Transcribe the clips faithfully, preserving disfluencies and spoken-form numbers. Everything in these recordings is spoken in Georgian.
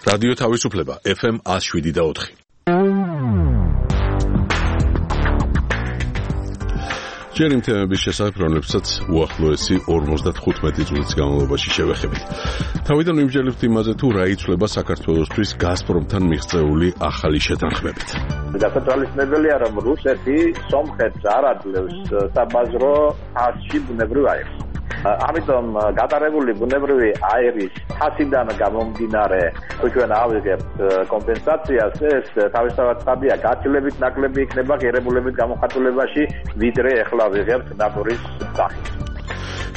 რადიო თავისუფლება ეფ ემ one oh seven და four. ჯერ იმ თემების შესახებ, რომლებსაც უახლოესი ორმოცდათხუთმეტი წუთის განმავლობაში შევეხებით. თავიდან ვიმსჯელებთ იმაზე, თუ რა იცვლება საქართველოსთვის გაზპრომთან მიღწეული ახალი შეთანხმებით. გასათვალისწინებელია, რომ რუსეთი სომხეთს არ აძლევს საბაზრო ფასში ბუნებრივ აირს. ამიტომ გატარებული ბუნებრივი აირის ფასიდან გამომდინარე, თუ ჩვენ ავიღებთ კომპენსაციას, ეს თავისთავად ხარჯია გაცილებით ნაკლები იქნება ღირებულებით გამოხატულებაში, ვიდრე ეხლა ვიღებთ ნატურის სახით.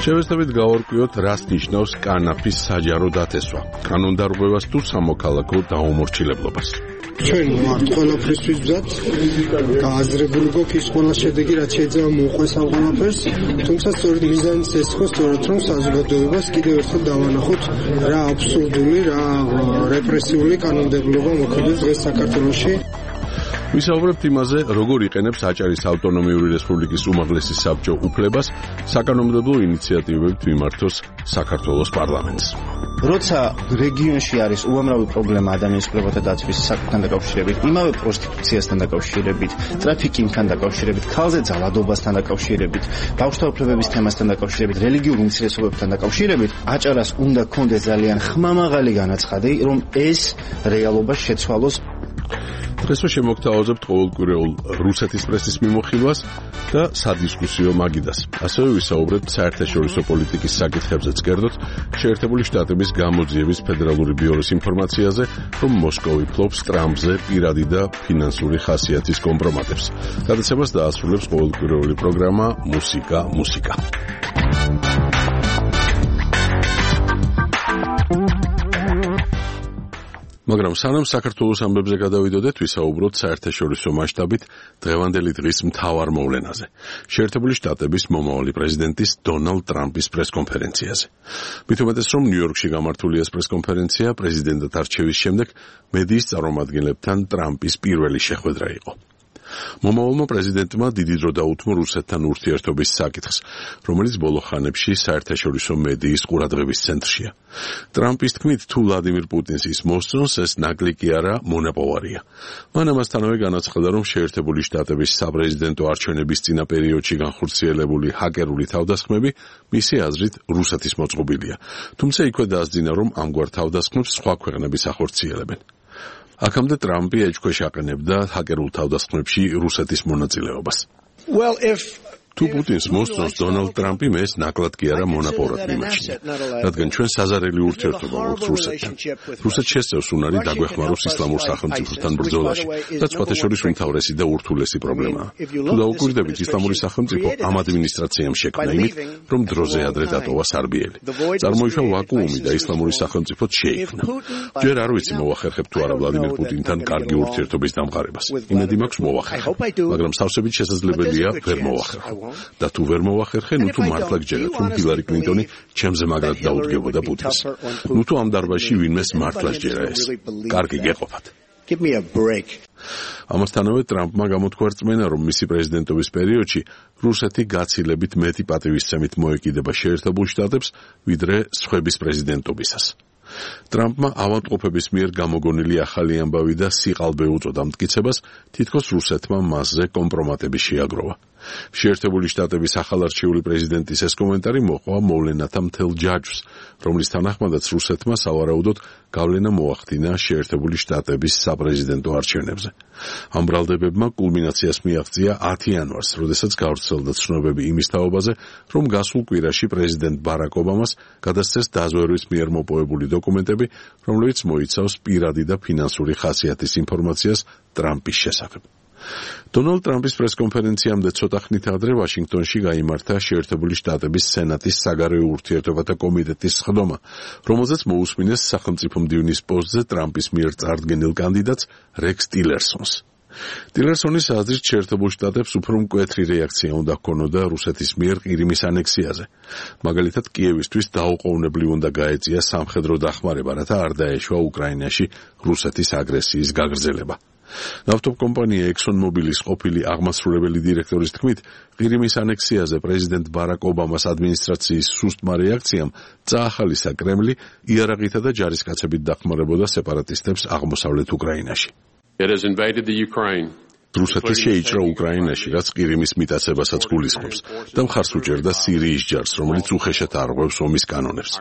შევეცდებით გავარკვიოთ, რას ნიშნავს კანაფის საჯარო დათესვა, კანონდარღვევას თუ სამოქალაქო დაუმორჩილებლობას. ჩვენ ვართ ყველაფრისთვის მზად, გააზრებული გვაქვს ის ყველა შედეგი, რაც შეიძლება მოუყვეს ამ ყველაფერს, თუმცა სწორედ მიზანიც ეს ხო, სწორედ რომ საზოგადოებას კიდევ ერთხელ დავანახოთ, რა აბსურდული, რა რეპრესიული კანონმდებლობა მოქმედებს დღეს საქართველოში. ვისაუბრებთ იმაზე, როგორ იყენებს აჭარის ავტონომიური რესპუბლიკის უმაღლესი საბჭო უფლებას საკანონმდებლო ინიციატივებით მიმართოს საქართველოს პარლამენტს. როცა რეგიონში არის უამრავი პრობლემა ადამიანის უფლებათა დაცვის საკითხთან დაკავშირებით, იმავე პროსტიტუციასთან დაკავშირებით, ტრაფიკინგთან დაკავშირებით, ქალზე ძალადობასთან დაკავშირებით, ბავშვთა უფლებების თემასთან დაკავშირებით, რელიგიურ უმცირესობებთან დაკავშირებით, აჭარას უნდა ქონდეს ძალიან ხმამაღალი განაცხადი, რომ ეს რეალობა შეცვალოს. დღესვე შემოგთავაზებთ ყოველკვირეულ რუსეთის პრესის მიმოხილვას და სადისკუსიო მაგიდას. ასევე ვისაუბრებთ საერთაშორისო პოლიტიკის საკითხებზეც კერძოდ შეერთებული შტატების გამოძიების ფედერალური ბიუროს ინფორმაციაზე, რომ მოსკოვი ფლობს ტრამპზე პირადი და ფინანსური ხასიათის კომპრომატებს. გადაცემას დაასრულებს ყოველკვირეული პროგრამა მუსიკა მუსიკა. მაგრამ სანამ საქართველოს ამბებზე გადავიდოდეთ, ვისაუბროთ საერთაშორისო მასშტაბით დღევანდელი დღის მთავარ მოვლენაზე. შეერთებული შტატების მომავალი პრეზიდენტის დონალდ ტრამპის პრესკონფერენციაზე. მით უმეტეს, რომ ნიუ-იორკში გამართული ეს პრესკონფერენცია პრეზიდენტად არჩევის შემდეგ მედიის წარმომადგენლებთან ტრამპის პირველი შეხვედრა იყო. მომავალმა პრეზიდენტმა დიდი დრო დაუთმო რუსეთთან ურთიერთობის საკითხს, რომელიც ბოლო ხანებში საერთაშორისო მედიის ყურადღების ცენტრშია. ტრამპის თქმით, თუ ვლადიმირ პუტინს ის მოსწონს, ეს ნაკლი კი არა, მონაპოვარია. მან ამასთანავე განაცხადა, რომ შეერთებული შტატების საპრეზიდენტო არჩევნების წინა პერიოდში განხორციელებული ჰაკერული თავდასხმები მისი აზრით რუსეთის მოწყობილია. თუმცა იქვე დაასძინა, რომ ამგვარ თავდასხმებს სხვა ქვეყნების ახორციელებენ. აქამდე ტრამპი ეჭქვეშ აყენებდა ჰაკერულ თავდასხმებში რუსეთის მონაწილეობას. Well, if თუ პუტინს მოსწონს დონალდ ტრამპი მე ეს ნაკლად კი არა მონაპოვრად მიმაჩნია, რადგან ჩვენ საზარელი ურთიერთობა გვაქვს რუსეთთან. რუსეთს შესწევს უნარი დაგვეხმაროს ისლამურ სახელმწიფოსთან ბრძოლაში, რაც სხვათა შორის უმთავრესი და ურთულესი პრობლემაა. თუ დაუკვირდებით, ისლამური სახელმწიფო ამ ადმინისტრაციამ შექმნა იმით, რომ დროზე ადრე დატოვა სარბიელი. წარმოიშვა ვაკუუმი და ისლამური სახელმწიფოც შეიქმნა. ჯერ არ ვიცი მოვახერხებ თუ არა ვლადიმირ პუტინთან კარგი ურთიერთობის დამყარებას. იმედი მაქვს მოვახერხებ, მაგრამ სავსებით შესაძლებელია ვერ მოვახერხო. და თუ ვერ მოვახერხე, ნუ თუ მართლა გჯერათ, რომ ჰილარი კლინტონი ჩემზე მაგრად დაუდგებოდა პუტინს. ნუ თუ ამ დარბაზში ვინმეს მართლა სჯერა ეს. კარგი გეყოფათ. Give me a break. ამასთანავე ტრამპმა გამოთქვა რწმენა, რომ მისი პრეზიდენტობის პერიოდში რუსეთი გაცილებით მეტი პატივისცემით მოეკიდება შეერთებულ შტატებს, ვიდრე სხვების პრეზიდენტობისას. ტრამპმა ავადმყოფების მიერ გამოგონილი ახალი ამბავი და სიყალბე უწოდა მტკიცებას, თითქოს რუსეთმა მასზე კომპრომატები შეაგროვა. შეერთებული შტატების ახალარჩეული პრეზიდენტის ეს კომენტარი მოყვა მოვლენათა მთელ ჯაჭვს, რომლის თანახმადაც რუსეთმა სავარაუდოდ გავლენა მოახდინა შეერთებული შტატების საპრეზიდენტო არჩევნებზე. ამ ბრალდებებმა კულმინაციას მიაღწია ათი იანვარს, როდესაც გავრცელდა ცნობები იმის თაობაზე, რომ გასულ კვირაში პრეზიდენტ ბარაკ ობამას გადასცეს დაზვერვის მიერ მოპოვებული დოკუმენტები, რომლებიც მოიცავს პირადი და ფინანსური ხასიათის ინფორმაციას ტრამპის შესახებ. დონალდ ტრამპის პრესკონფერენციამდე ცოტა ხნით ადრე ვაშინგტონში გაიმართა შეერთებული შტატების სენატის საგარეო ურთიერთობათა კომიტეტის სხდომა, რომელზეც მოусმინეს სახელმწიფო მდივნის პოსტზე ტრამპის მიერ წარდგენილ კანდიდატს რექს ტილერსონს. ტილერსონის აზრით შეერთებულ შტატებს უფრო მკვეთრი რეაქცია უნდა ჰქონოდა რუსეთის მიერ ყირიმის ანექსიაზე. მაგალითად, კიევისთვის დაუყოვნებლივ უნდა გაეწია სამხედრო დახმარება, რათა არ დაეშვა უკრაინაში რუსეთის აგრესიის გაგრძელება. ნავთობკომპანია ExxonMobilis ყოფილი აღმასრულებელი დირექტორის თქმით, ყირიმის ანექსიაზე პრეზიდენტ ბარაკ ობამას ადმინისტრაციის სუსტმა რეაქციამ წაახალისა კრემლი იარაღითა და ჯარისკაცებით დახმარებოდა სეპარატისტებს აღმოსავლეთ უკრაინაში. It has invaded the Ukraine. რუსეთი შეიჭრა უკრაინაში, რაც ყირიმის მიტაცებასაც გულისხმობს და მხარს უჭერდა სირიის ჯარს, რომელიც უხეშად არღვევს ომის კანონებს.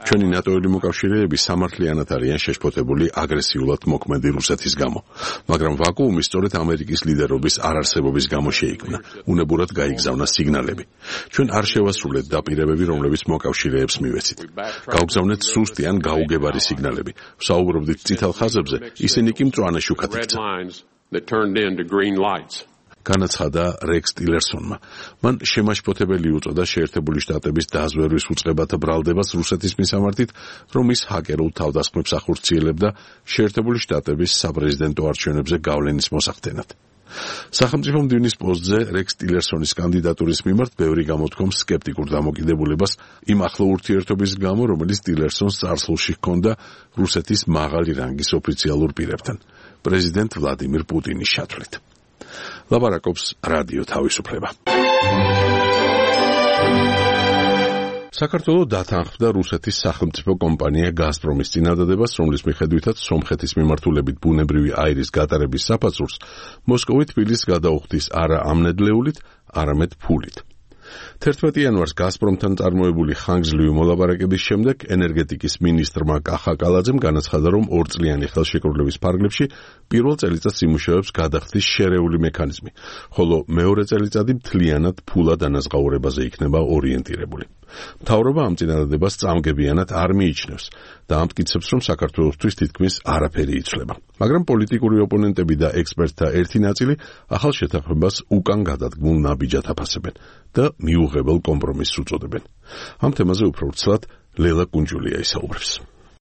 ჩვენი ნატოელი მოკავშირეები სამართლიანად არიან შეშფოთებული აგრესიულად მოქმედი რუსეთის გამო, მაგრამ ვაკუუმი სწორედ ამერიკის ლიდერობის არარსებობის გამო შეიქმნა. უნებურად გაიგზავნა სიგნალები. ჩვენ არ შევასრულეთ დაპირებები, რომლებიც მოკავშირეებს მივეცით. გავგზავნეთ სუსტი ან გაუგებარი სიგნალები. ვსაუბრობდით წითელ ხაზებზე, ისინი კი მწვანე შუქად იქცა. That turned into green lights. განაცხადა რექს ტილერსონმა. მან შემაშფოთებელი უწოდა შეერთებული შტატების დაზვერვის უწყებათა ბრალდებას რუსეთის მისამართით, რომ ის ჰაკერულ თავდასხმებს ახორციელებდა შეერთებული შტატების საპრეზიდენტო არჩევნებზე გავლენის მოსახდენად. სახელმწიფო მდივნის პოსტზე რექს ტილერსონის კანდიდატურის მიმართ ბევრი გამოთქვამს სკეპტიკურ დამოკიდებულებას იმ ახლო ურთიერთობის გამო, რომელიც ტილერსონს წარსულში ჰქონდა რუსეთის მაღალი რანგის ოფიციალურ პირებთან. პრეზიდენტ ვლადიმირ პუტინის შათვლით. ლაპარაკობს რადიო თავისუფლება. საქართველო დათანხმდა რუსეთის სახელმწიფო კომპანია გაზპრომის წინადადებას, რომლის მიხედვითაც სომხეთის მიმართულებით ბუნებრივი აირის გატარების საფასურს მოსკოვი თბილისს გადაუხდის არა ამნედლეულით, არამედ ფულით. თერთმეტი იანვარს გაზპრომთან წარმოებული ხანგრძლივი მოლაპარაკების შემდეგ ენერგეტიკის მინისტრმა კახა კალაძემ განაცხადა, რომ ორწლიანი ხელშეკრულების ფარგლებში პირველ წელიწადს იმუშავებს გადახდის შერეული მექანიზმი, ხოლო მეორე წელიწადი მთლიანად ფულად ანაზღაურებაზე იქნება ორიენტირებული. მთავრობა ამ წინადადებას წამგებიანად არ მიიჩნევს და ამტკიცებს, რომ საქართველოსთვის თითქმის არაფერი იცვლება. მაგრამ პოლიტიკური ოპონენტები და ექსპერტთა ერთი ნაწილი ახალ შეთანხმებას უკან გადადგმულ ნაბიჯად აფასებენ და მიუღებელ კომპრომისს უწოდებენ. ამ თემაზე უფრო ვრცლად ლელა კუნჯულია ისაუბრებს.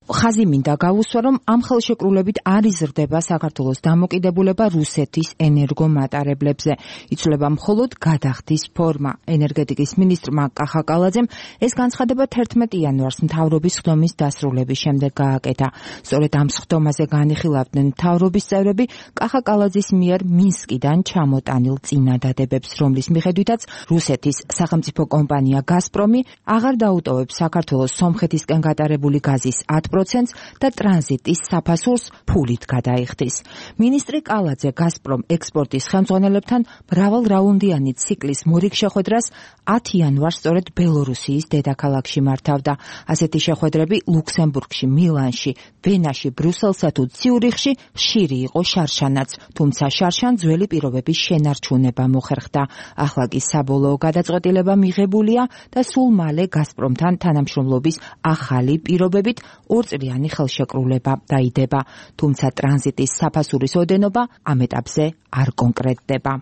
ხაზი მინდა გავუსვა, რომ ამ ხელშეკრულებით არ იზრდება საქართველოს დამოკიდებულება რუსეთის ენერგომატარებლებზე. იცვლება მხოლოდ გადახდის ფორმა. ენერგეტიკის მინისტრმა კახა კალაძემ ეს განცხადება თერთმეტი იანვარს მთავრობის ხდომის დასრულების შემდეგ გააკეთა. სწორედ ამ ხდომაზე განიხილავდნენ მთავრობის წევრები კახა კალაძის მიერ მინსკიდან ჩამოტანილ წინადადებებს, რომლის მიხედვითაც რუსეთის სახელმწიფო კომპანია გაზპრომი აღარ დაუტოვებს საქართველოს სომხეთისკენ გატარებული გაზის ათ პროცენტს და ტრანზიტის საფასურს ფულით გადაიხდის. მინისტრი კალაძე გაზპრომ ექსპორტის ხელმძღვანელებთან მრავალრაუნდიანი ციკლის მორიგ შეხვედრას ათი იანვარს სწორედ ბელორუსიის დედაქალაქში მართავდა. ასეთი შეხვედრები ლუქსემბურგში, მილანში, ვენაში, ბრიუსელსა თუ ციურიხში ხშირი იყო შარშანაც, თუმცა შარშან ძველი პირობების შენარჩუნება მოხერხდა. ახლა კი საბოლოო გადაწყვეტილება მიღებულია და სულ მალე გაზპრომთან თანამშრომლობის ახალი პირობებით ორწლიანი ხელშეკრულება დაიდება, თუმცა ტრანზიტის საფასურის ოდენობა ამ ეტაპზე არ კონკრეტდება.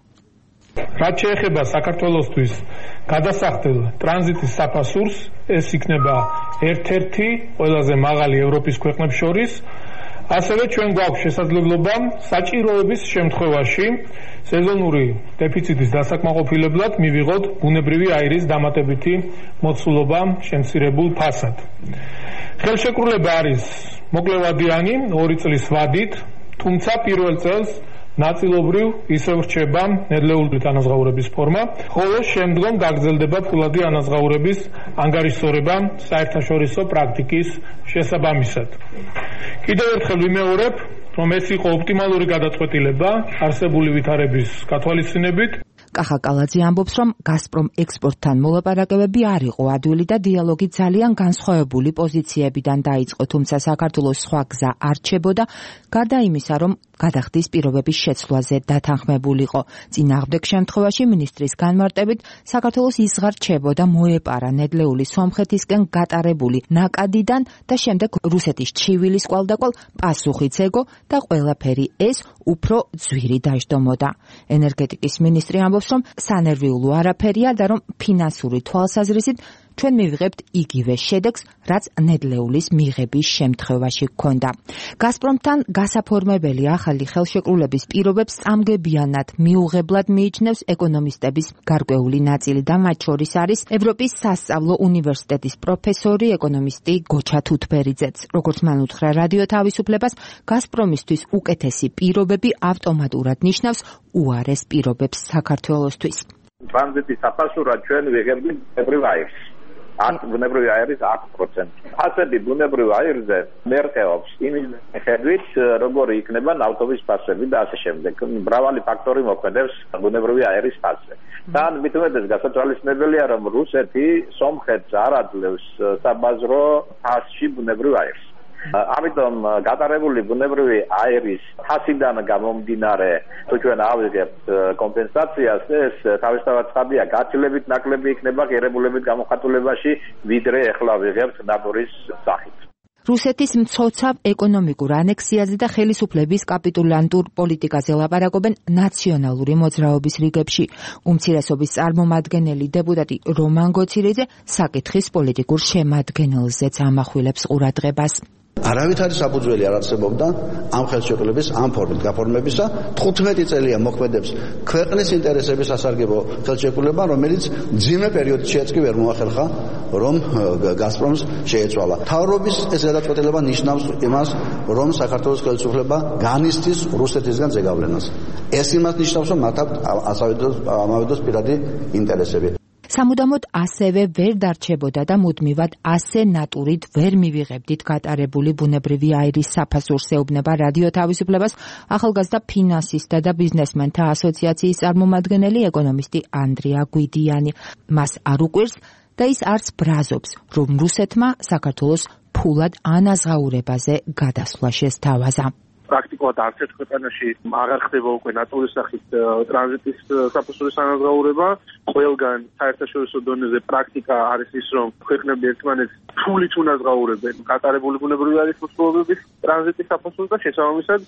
რაც შეეხება საქართველოსთვის გადასახდელ ტრანზიტის საფასურს, ეს იქნება ერთ-ერთი ყველაზე მაღალი ევროპის ქვეყნებს შორის. ასევე ჩვენ გვაქვს შესაძლებლობა საჭიროების შემთხვევაში სეზონური დეფიციტის დასაკმაყოფილებლად მივიღოთ ბუნებრივი აირის დამატებითი მოცულობა შემცირებულ ფასად. ხელშეკრულება არის მოკლევადიანი, ორი წლის ვადით, თუმცა პირველ წელს ნაწილობრივ ისევ რჩება ნედლეული ანაზღაურების ფორმა, ხოლო შემდგომ გაგრძელდება ფულადი ანაზღაურების ანგარიშსწორება საერთაშორისო პრაქტიკის შესაბამისად. კიდევ ერთხელ ვიმეორებ, რომ ეს იყო ოპტიმალური გადაწყვეტილება არსებული ვითარების გათვალისწინებით. კახა კალაძე ამბობს, რომ გაზპრომ ექსპორტთან მოლაპარაკებები არ იყო ადვილი და დიალოგი ძალიან განსხვავებული პოზიციებიდან დაიწყო, თუმცა საქართველოს სხვა გზა არ რჩებოდა, გარდა იმისა, რომ გადახდის პირობების შეცვლაზე დათანხმებულიყო. წინააღმდეგ შემთხვევაში მინისტრის განმარტებით საქართველოს იზღარჩებოდა მოეპარა ნედლეული სომხეთისკენ გატარებული ნაკადიდან და შემდეგ რუსეთის ჩივილის კვალდაკვალ პასუხიც ეგო და ყველაფერი ეს უფრო ძვირი დაждომოდა. ენერგეტიკის მინისტრი ამბობს, რომ სანერვიულო არაფერია და რომ ფინანსური თვალსაზრისით ჩვენ მივიღებთ იგივე შედეგს, რაც ნედლეულის მიღების შემთხვევაში ჰქონდა. გაზპრომთან გასაფორმებელი ახალი ხელშეკრულების პირობებს წამგებიანად მიუღებლად მიიჩნევს ეკონომისტების გარკვეული ნაწილი და მათ შორის არის ევროპის სასწავლო უნივერსიტეტის პროფესორი ეკონომისტი გოჩა თუთბერიძეც. როგორც მან უთხრა რადიო თავისუფლებას, გაზპრომისთვის უკეთესი პირობები ავტომატურად ნიშნავს უარეს პირობებს საქართველოსთვის. ტრანზიტის საფასურად ჩვენ ვიღებთ ბუნებრივ აირს. ათ ბუნებრივი აირის ათი პროცენტი. ფასები ბუნებრივ აირზე მერყეობს იმის მიხედვით, როგორი იქნება ნავთობის ფასები და ასე შემდეგ. მრავალი ფაქტორი მოქმედებს ბუნებრივი აირის ფასზე. თან მით უმეტეს გასათვალისწინებელია, რომ რუსეთი სომხეთს არ აძლევს საბაზრო ფასში ბუნებრივ აირს. ამიტომ გატარებული ბუნებრივი აირის ფასიდან გამომდინარე, თუ ჩვენ ავიღებთ კომპენსაციას, ეს თავისთავად ცხადია, გაცილებით ნაკლები იქნება ღირებულებით გამოხატულებაში, ვიდრე ეხლა ვიღებთ ნატურის სახით. რუსეთის მცოცავ ეკონომიკურ ანექსიაზე და ხელისუფლების კაპიტულანტურ პოლიტიკაზე ლაპარაკობენ ნაციონალური მოძრაობის რიგებში. უმცირესობის წარმომადგენელი დეპუტატი რომან გოცირიძე საკითხის პოლიტიკურ შემადგენელზეც ამახვილებს ყურადღებას. არავით არის საფუძველი არ არსებობდა ამ ხელშეკრულების ამ ფორმით გაფორმებისა. თხუთმეტი წელია მოქმედებს ქვეყნის ინტერესების სასარგებლო ხელშეკრულება, რომელიც ძიმე პერიოდშიც კი ვერ მოახერხა, რომ გაზპრომს შეეცვალა. მთავრობის ეს გადაწყვეტილება ნიშნავს იმას, რომ საქართველოს ხელისუფლება განიცდის რუსეთისგან ზეგავლენას. ეს იმას ნიშნავს, რომ მათ აქვთ ამავე დროს პირადი ინტერესები. სამუდამოდ ასევე ვერ დარჩებოდა და მუდმივად ასე ნატურით ვერ მივიღებდით გატარებული ბუნებრივი აირის საფასურს, ეუბნება რადიო თავისუფლებას ახალგაზრდა ფინანსისტთა და ბიზნესმენთა ასოციაციის წარმომადგენელი ეკონომისტი ანდრია გვიდიანი. მას არ უყვირს და ის არც ბრაზობს, რომ რუსეთმა საქართველოს ფულად ანაზღაურებაზე გადასვლა შესთავაზა. პრაქტიკულად არც ერთ ქვეყანაში აღარ ხდება უკვე ნატურის სახით ტრანზიტის საფასურის ანაზღაურება. ყველგან საერთაშორისო დონეზე პრაქტიკა არის ის, რომ ქვეყნები ერთმანეთს ფულით უნაზღაურებენ გატარებული ბუნებრივი აირის მოსპობების ტრანზიტის საფასურს და შესაბამისად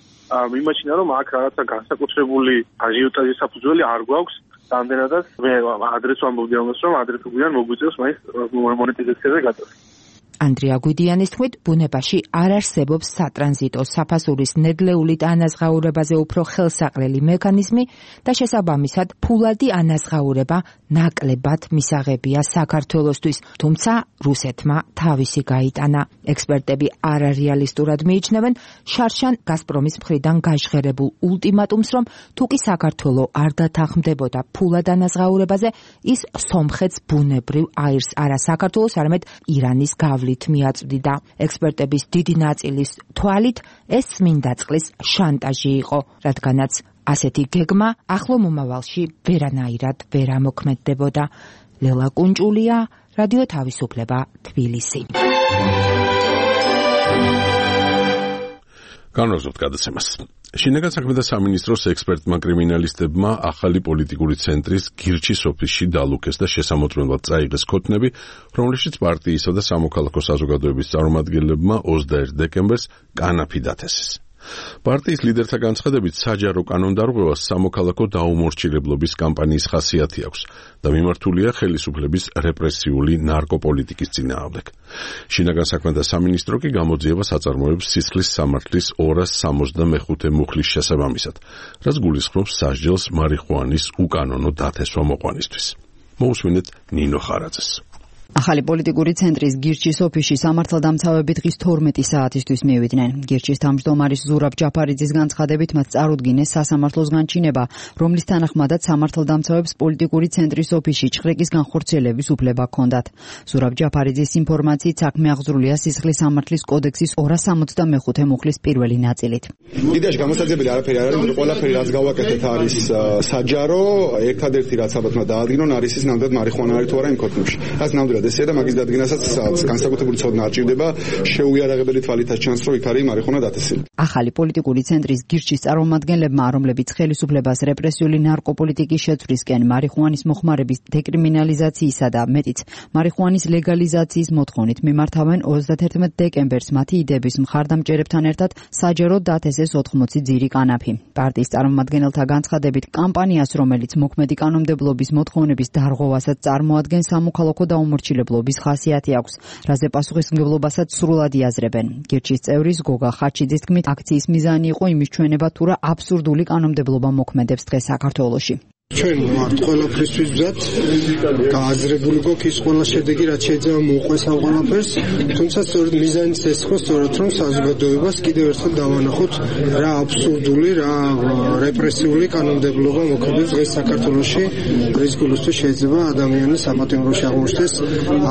მიმაჩნია, რომ აქ რაღაცა განსაკუთრებული აჟიოტაჟის საფუძველი არ გვაქვს. რამდენადაც მე ადრეს ვამბობდი ამას, რომ ადრე თუ გვიან მოგვიწევს მაინც მონეტიზაციაზე გაწევს. ანდრია გვიდიანის თქმით, ბუნებაში არ არსებობს სატრანზიტო საფასურის ნედლეულით ანაზღაურებაზე უფრო ხელსაყრელი მექანიზმი და შესაბამისად ფულადი ანაზღაურება ნაკლებად მისაღებია საქართველოსთვის, თუმცა რუსეთმა თავისი გაიტანა. ექსპერტები არარეალისტურად მიიჩნევენ შარშან გაზპრომის მხრიდან გაჟღერებულ ულტიმატუმს, რომ თუ კი საქართველო არ დათანხმდებოდა ფულად ანაზღაურებაზე, ის სომხეთს ბუნებრივ აირს არა საქართველოს, არამედ ირანის გავლით მიაწვდიდა. ექსპერტების დიდი ნაწილის თვალით ეს წმინდა წყლის შანტაჟი იყო, რადგანაც ასეთი გეგმა ახლო მომავალში ვერანაირად ვერ ამოქმედდებოდა. ლელა კუნჭულია, რადიო თავისუფლება, თბილისი. განვაგრძობთ გადაცემას. შინაგან საქმეთა სამინისტროს ექსპერტმა კრიმინალისტებმა ახალი პოლიტიკური ცენტრის გირჩის ოფისში დალუქეს და შესამოწმებლად წაიღეს ქოთნები, რომლებშიც პარტიისა და სამოქალაქო საზოგადოების წარმომადგენლებმა ოცდაერთი დეკემბერს კანაფი დათესეს. პარტიის ლიდერთა განცხადებით, საჯარო კანონდარღვევას სამოქალაქო დაუმორჩილებლობის კამპანიის ხასიათი აქვს და მიმართულია ხელისუფლების რეპრესიული ნარკოპოლიტიკის წინააღმდეგ. შინაგან საქმეთა სამინისტრო კი გამოძიებას აწარმოებს სისხლის სამართლის ორას სამოცდამეხუთე მუხლის შესაბამისად, რაც გულისხმობს სასჯელს მარიხუანის უკანონო დათესვა მოყვანისთვის. მოусმინეთ ნინო ხარაძეს. ახალი პოლიტიკური ცენტრის გირჩის ოფისში სამართალდამცავები დღის თორმეტი საათისთვის მივიდნენ. გირჩის თავმჯდომარის ზურაბ ჯაფარიძის განცხადებით მათ წარუდგინეს სასამართლოს განჩინება, რომლის თანახმადაც სამართალდამცავებს პოლიტიკური ცენტრის ოფისში ჭხრიკის განხორციელების უფლება ჰქონდათ. ზურაბ ჯაფარიძის ინფორმაციით საქმე აღძრულია სისხლის სამართლის კოდექსის ორას სამოცდამეხუთე მუხლის პირველი ნაწილით. იდეაში გამოსაძებელი არაფერი არ არის, ყველაფერი რაც გავაკეთეთ არის საჯარო, ერთადერთი რაც ალბათ დაადგინონ არის ის ნამდვილად მარიხუანა არის თუ არა იმ ქოთნებში. რაც ნამდვილად ესეა და მაგის დადგენასაც განსაკუთრებული ცოდნა არ ჭირდება, შეუიარაღებელი თვალითაც ჩანს, რომ იქ არის მარიხუანა დათესილი. ახალი პოლიტიკური ცენტრის გირჩის წარმომადგენლებმა, რომლებიც ხელისუფლებას რეპრესიული ნარკოპოლიტიკის შეცვლისკენ, მარიხუანის მოხმარების დეკრიმინალიზაციისა და მეტიც მარიხუანის ლეგალიზაციის მოთხოვნით მიმართავენ ოცდაათი დეკემბერს მათი იდეების მხარდამჭერებთან ერთად საჯაროდ დათესეს ოთხმოცი ძირი კანაფი. პარტიის წარმომადგენელთა განცხადებით, კამპანიას, რომელიც მოქმედი კანონმდებლობის მოთხოვნების დარღვევასაც წარმოადგენს, სამოქალაქო დაუმორჩილებლობის აუცილებლობის ხასიათი აქვს, რაზე პასუხისმგებლობასაც სრულად იაზრებენ. გირჩის წევრის გოგა ხაჩიძის თქმით, აქციის მიზანი იყო იმის ჩვენება, თუ რა აბსურდული კანონმდებლობა მოქმედებს დღეს საქართველოში. ჩვენ ვართ ყველაფრისთვის მზად, გააზრებული გვაქვს ის ყველა შედეგი, რაც შეიძლება მოუყვეს ამ ყველაფერს, თუმცა სწორედ მიზანიც ეს ხო, სწორედ რომ საზოგადოებას კიდევ ერთხელ დავანახოთ, რა აბსურდული, რა რეპრესიული კანონმდებლობა მოქმედებს დღეს საქართველოში, რის გულისთვის შეიძლება ადამიანი საპატიმროში აღმოჩნდეს,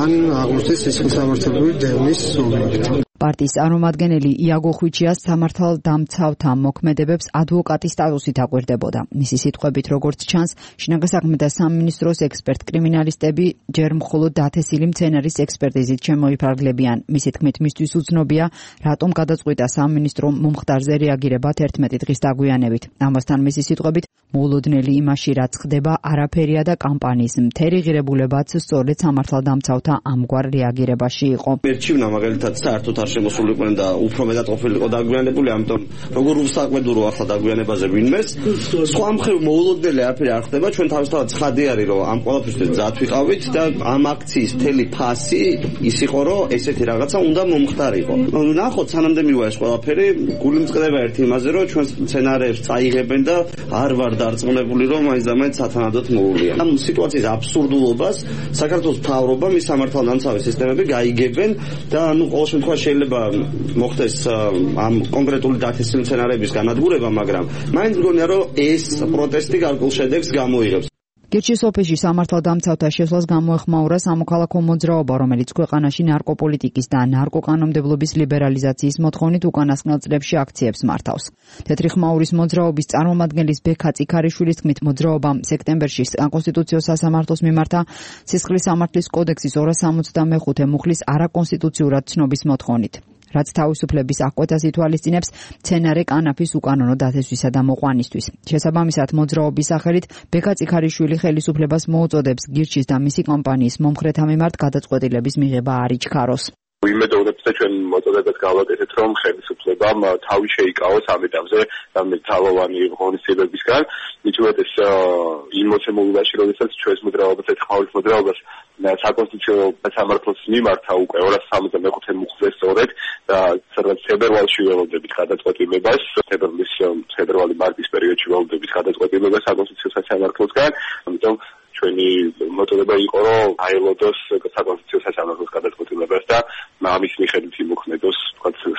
ან აღმოჩნდეს სისხლისამართლებელი დევნის ობიექტი. პარტიის წარმომადგენელი იაგო ხვიჩიას სამართალდამცავთა მოქმედებებს ადვოკატის სტატუსით აკვირდებოდა. მისი სიტყვებით, როგორც ჩანს, შინაგან საქმეთა სამინისტროს ექსპერტ-კრიმინალისტები ჯერ მხოლოდ დათესილი მცენარის ექსპერტიზით შემოიფარგლებიან. მისი თქმით, მისთვის უცნობია, რატომ გადაწყვიტა სამინისტრო მომხდარზე რეაგირება თერთმეტი დღის დაგვიანებით. ამასთან მისი სიტყვებით, მოულოდნელი იმაში, რაც ხდება, არაფერია და კამპანიის მთელი ღირებულებაც სწორედ სამართალდამცავთა ამგვარ რეაგირებაში იყო. მერჩივნა მაგალითად საერთოდ შემოსულიყვნენ და უფრო მეტად ყოფილიყო დაგვიანებული, ამიტომ როგორ უსაკვედურო ახლა დაგვიანებაზე ვინმეს. სხვა მხრივ მოულოდნელი არაფერი არ ხდება, ჩვენ თავისთავად ცხადი არის, რომ ამ ყველაფერს ძად ვიყავით და ამ აქციის მთელი ფასი ის იყო, რომ ესეთი რაღაცა უნდა მომხდარიყო. ნახოთ, სანამდე მივა ეს ყველაფერი, გული მწყდება ერთ იმაზე, რომ ჩვენ სცენარებს წაიღებენ და არ ვარ დარწმუნებული, რომ მაინც და მაინც სათანადოდ მოუვლიან. ამ სიტუაციის აბსურდულობას საქართველოს მთავრობა, მის სამართალდამცავი სისტემები გაიგებენ და ნუ ყოველ შემთხვევაში შეიძლება მოხდეს ამ კონკრეტული დათესილი მცენარეების განადგურება, მაგრამ მაინც მგონია, რომ ეს პროტესტი გარკვეულ შედეგს გამოიღებს. გირჩის ოფისში სამართალდამცავთა შესვლას გამოეხმაურა სამოქალაქო მოძრაობა, რომელიც ქვეყანაში ნარკოპოლიტიკის და ნარკოკანონმდებლობის ლიბერალიზაციის მოთხოვნით უკანასკნელ წლებში აქციებს მართავს. თეთრი ხმაურის მოძრაობის წარმომადგენლის ბექა წიქარიშვილის თქმით, მოძრაობამ სექტემბერში საკონსტიტუციო სასამართლოს მიმართა სისხლის სამართლის კოდექსის ორასი სამოცდამეხუთე მუხლის არაკონსტიტუციურად ცნობის მოთხოვნით. რაც თავისუფლების აღკვეთას ითვალისწინებს მცენარე კანაფის უკანონო დათესვისა და მოყვანისთვის. შესაბამისად, მოძრაობის სახელით ბექა წიქარიშვილი ხელისუფლებას მოუწოდებს გირჩის და მისი კომპანიის მომხრეთა მიმართ გადაწყვეტილების მიღება არ იჩქაროს. ვიმედოვნებთ და ჩვენ მოწოდებას გავაკეთეთ, რომ ხელისუფლებამ თავი შეიკავოს ამ ეტაპზე თავოვანი ღონისძიებებისგან. მით უმეტეს იმ მოცემულობაში, როდესაც ჩვენს მოძრაობას, ეთქმაურის მოძრაობას საკონსტიტუციო სამართლოს მიმართა უკვე ორასი სამოცდამეხუთე მუხლზე სწორედ და სადაც თებერვალში ველოდებით გადაწყვეტილებას, თებერვლის თებერვალი-მარტის პერიოდში ველოდებით გადაწყვეტილებას საკონსტიტუციო სამართლოსგან, ამიტომ ჩვენი მოწოდება იყო, რომ აელოდოს საკონსტიტუციო სასამართლოს გადაწყვეტილებას და ამის მიხედვით იმოქმედოს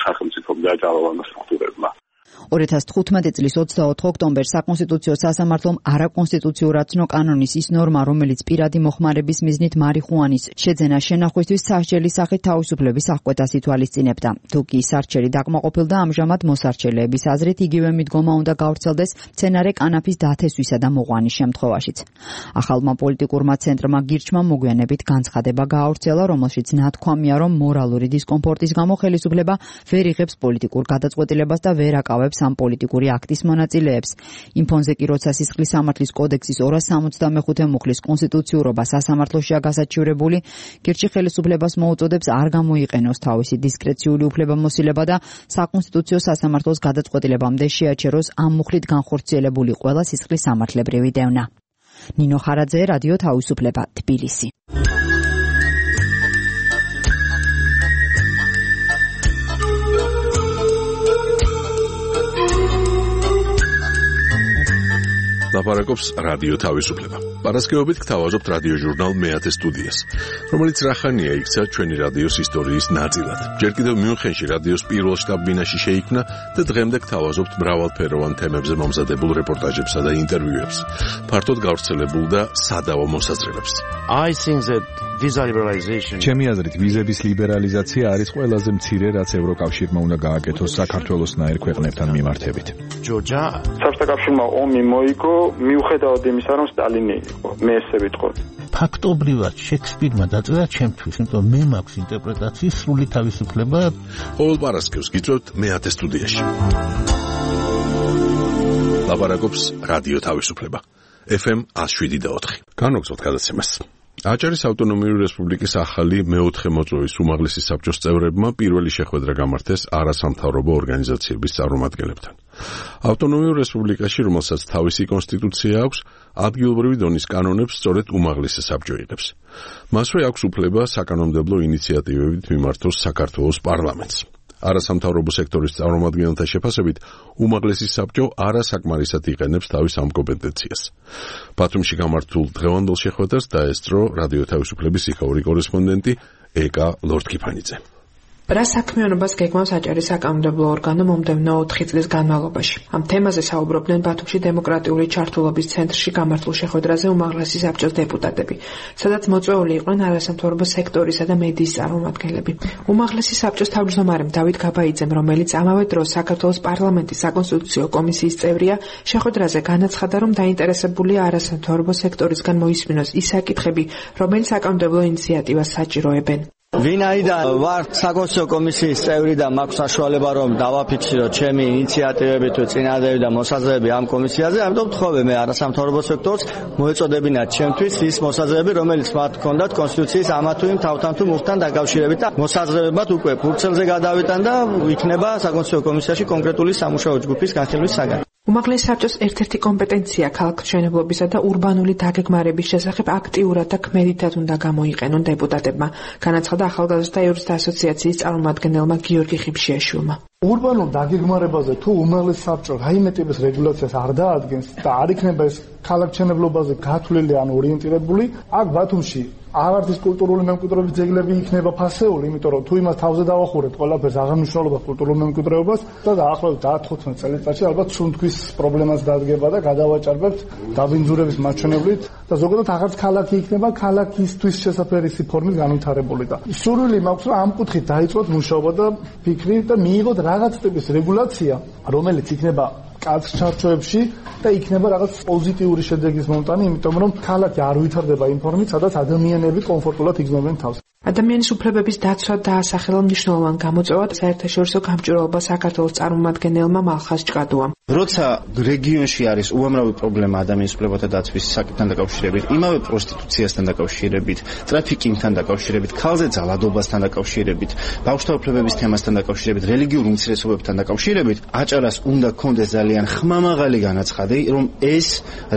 სახელმწიფომ და ძალოვანმა სტრუქტურებმა. ორი ათას თხუთმეტი წლის ოცდაოთხ ოქტომბერს საკონსტიტუციო სასამართლომ არაკონსტიტუციურად ცნო კანონის ის ნორმა, რომელიც პირადი მოხმარების მიზნით მარიხუანის შეძენა შენახვისთვის სასჯელის სახით თავისუფლების აღკვეთას ითვალისწინებდა. თუ კი სარჩელი დაკმაყოფილდა, ამჟამად მოსარჩელეების აზრით იგივე მიდგომა უნდა გავრცელდეს მცენარე კანაფის დათესვისა და მოყვანის შემთხვევაშიც. ახალმა პოლიტიკურმა ცენტრმა გირჩმა მოგვიანებით განცხადება გაავრცელა, რომელშიც ნათქვამია, რომ მორალური დისკომფორტის გამო ხელისუფლება ვერ იღებს პოლიტიკურ გადაწყვეტილებას და ვერ აკავებს ამ პოლიტიკური აქტის მონაწილეებს. იმ ფონზე კი როცა სისხლის სამართლის კოდექსის ორასი სამოცდამეხუთე მუხლის კონსტიტუციურობა სასამართლოშია გასაჩივრებული, გირჩი ხელისუფლებას მოუწოდებს არ გამოიყენოს თავისი დისკრეციული უფლებამოსილება და საკონსტიტუციო სასამართლოს გადაწყვეტილებამდე შეაჩეროს ამ მუხლით განხორციელებული ყველა სისხლის სამართლებრივი დევნა. ნინო ხარაძე, რადიო თავისუფლება, თბილისი. ლაპარაკობს რადიო თავისუფლება. პარასკევობით გთავაზობთ რადიო ჟურნალ მეათე სტუდიას, რომელიც რახანია იქცა ჩვენი რადიოს ისტორიის ნაწილად. ჯერ კიდევ მიუნხენში რადიოს პირველ შტაბ-ბინაში შეიქმნა და დღემდე გთავაზობთ მრავალფეროვან თემებზე მომზადებულ რეპორტაჟებსა და ინტერვიუებს, ფართოდ გავრცელებულ და სადავო მოსაზრებებს. I think that visa liberalization. ჩემი აზრით, ვიზების ლიბერალიზაცია არის ყველაზე მცირე, რაც ევროკავშირმა უნდა გააკეთოს საქართველოსნაირ ქვეყნებთან მიმართებით. ჯორჯა საბჭოთა კავშირმა ომი მოიგო, მიუხედავად იმისა, რომ სტალინი იყო, მე ესე ვიტყოდი. ფაქტობრივად შექსპირმა დაწერა ჩემთვის, იმიტომ მე მაქვს ინტერპრეტაციის სრული თავისუფლება. ყოველ პარასკევს გიწევთ მეათე სტუდიაში. ლაპარაკობს რადიო თავისუფლება. ეფ ემ εκατო შვიდი და ოთხი. განვაგრძობთ გადაცემას. აჭარის ავტონომიური რესპუბლიკის ახალი მეოთხე მოწვევის უმაღლესი საბჭოს წევრებმა პირველი შეხვედრა გამართეს არასამთავრობო ორგანიზაციების წარმომადგენლებთან. ავტონომიურ რესპუბლიკაში, რომელსაც თავისი კონსტიტუცია აქვს, ადგილობრივი დონის კანონებს სწორედ უმაღლესი საბჭო იღებს. მასვე აქვს უფლება საკანონმდებლო ინიციატივებით მიმართოს საქართველოს პარლამენტს. არასამთავრობო სექტორის წარმომადგენელთა შეფასებით, უმაღლესი საბჭო არასაკმარისად იყენებს თავის ამ კომპეტენციას. ბათუმში გამართულ დღევანდელ შეხვედრას დაესწრო რადიო თავისუფლების იქაური კორესპონდენტი ეკა ლორთქიფანიძე. რა საქმიანობას გეგმავს აჭარის საკანონმდებლო ორგანო მომდევნო ოთხი წლის განმავლობაში. ამ თემაზე საუბრობდნენ ბათუმში დემოკრატიული ჩართულობის ცენტრში გამართულ შეხვედრაზე უმაღლესი საბჭოს დეპუტატები, სადაც მოწვეული იყვნენ არასამთავრობო სექტორისა და მედიის წარმომადგენლები. უმაღლესი საბჭოს თავმჯდომარემ დავით გაბაიძემ, რომელიც ამავე დროს საქართველოს პარლამენტის საკონსტიტუციო კომისიის წევრია, შეხვედრაზე განაცხადა, რომ დაინტერესებულია არასამთავრობო სექტორისგან მოისმინოს ის საკითხები, რომელიც საკანონმდებლო ინიციატივას საჭიროებენ. ვინაიდან ვარ საკონსტიტუციო კომისიის წევრი და მაქვს საშუალება რომ დავაფიქსირო ჩემი ინიციატივები თუ წინადადები და მოსაზრებები ამ კომისიაზე, ამიტომ ვთხოვე მე არასამთავრობო სექტორს მოეწოდებინათ ჩემთვის ის მოსაზრებები, რომელიც მათ ჰქონდათ კონსტიტუციის ამა თუ იმ თავთან თუ მუხთან დაკავშირებით და მოსაზრებებად უკვე ფურცელზე გადავიტან და იქნება საკონსტიტუციო კომისიაში კონკრეტული სამუშაო ჯგუფის განხილვის საგანი. უმაღლესი საბჭოს ერთ-ერთი კომპეტენცია ქალაქმშენებლობისა და ურბანული დაგეგმარების შესახებ აქტიურად და ქმედითად უნდა გამოიყენონ დეპუტატებმა, განაცხადა ახალგაზრდა იურისტთა ასოციაციის წარმომადგენელმა გიორგი ხიფშიაშვილმა. ურბანულ დაგეგმარებაზე თუ უმაღლესი საბჭო რაიმე ტიპის რეგულაციას არ დაადგენს და არ იქნება ეს ქალაქმშენებლობაზე გათვლილი ან ორიენტირებული, აქ ბათუმში აღარც ის კულტურული მემკვიდრეობის ძეგლები იქნება ფასეული, იმიტომ რომ თუ იმას თავზე დავახურეთ ყველაფერს აღარ მნიშვნელობა კულტურულ მემკვიდრეობას და დაახლოებით ათი წელიწადში ალბათ სუნთქვის პრობლემას დადგება და გადავაჭარბებთ დაბინძურების მაჩვენებლით და ზოგადად აღარც ქალაქი იქნება ქალაქისთვის შესაძლებელი ფორმის განვითარებული და სურვილი მაქვს რომ ამ კუთხით დაიწყოთ მუშაობა და ფიქრი და მიიღოთ რაღაც ტიპის რეგულაცია, რომელიც იქნება კაც ჩარჩოებში და იქნება რაღაც პოზიტიური შედეგის მომტანი, იმიტომ რომ ქალაქი არ ვითარდება იმ ფორმით, სადაც ადამიანები კომფორტულად იგრძნობენ თავს. ადამიანის უფლებების დაცვა დაასახელა მნიშვნელოვან გამოწვევად საერთაშორისო გამჭვირვალობა საქართველოს წარმომადგენელმა მალხაზ ჭკადუამ. როცა რეგიონში არის უამრავი პრობლემა ადამიანის უფლებათა დაცვის საკითხთან დაკავშირებით, იმავე პროსტიტუციასთან დაკავშირებით, ტრაფიკინგთან დაკავშირებით, ქალზე ძალადობასთან დაკავშირებით, ბავშვთა უფლებების თემასთან დაკავშირებით, რელიგიურ უმცირესობებთან დაკავშირებით, აჭარას უნდა კონდეს ძალიან ხმამაღალი განაცხადი, რომ ეს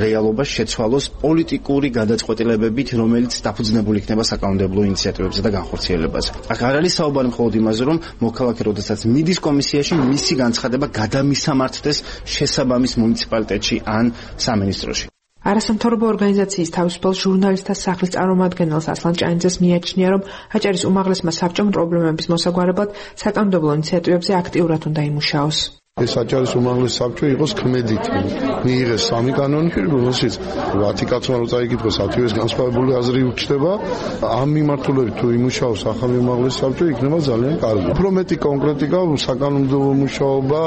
რეალობა შეცვალოს პოლიტიკური გადაწყვეტილებებით, რომელიც დაფუძნებული იქნება საკანონმდებლო ინიციატივებზე და განხორციელებაზე. აქ არ არის საუბარი მხოლოდ იმაზე, რომ მოქალაქე როდესაც მიდის კომისიაში, მისი განცხადება გადამისამართდეს შესაბამის მუნიციპალიტეტში ან სამინისტროში. არასამთავრობო ორგანიზაციის თავისუფალ ჟურნალისტთა სახლის წარმომადგენელს ასლან ჭაინძეს მიაჩნია, რომ აჭარის უმაღლესმა საბჭომ პრობლემების მოსაგვარებლად საკანონმდებლო ინიციატივებზე აქტიურად უნდა იმუშაოს. ეს აჭარის უმაღლესი საბჭო იყოს ქმედითი. მიიღეს სამი კანონი, რომელშიც ათი კაცმა რო წაიკითხოს ათივეს განსხვავებული აზრი უჩნდება. ამ მიმართულებით თუ იმუშაოს ახალი უმაღლესი საბჭო, იქნება ძალიან კარგი. უფრო მეტი კონკრეტიკა, საკანონმდებლო მუშაობა.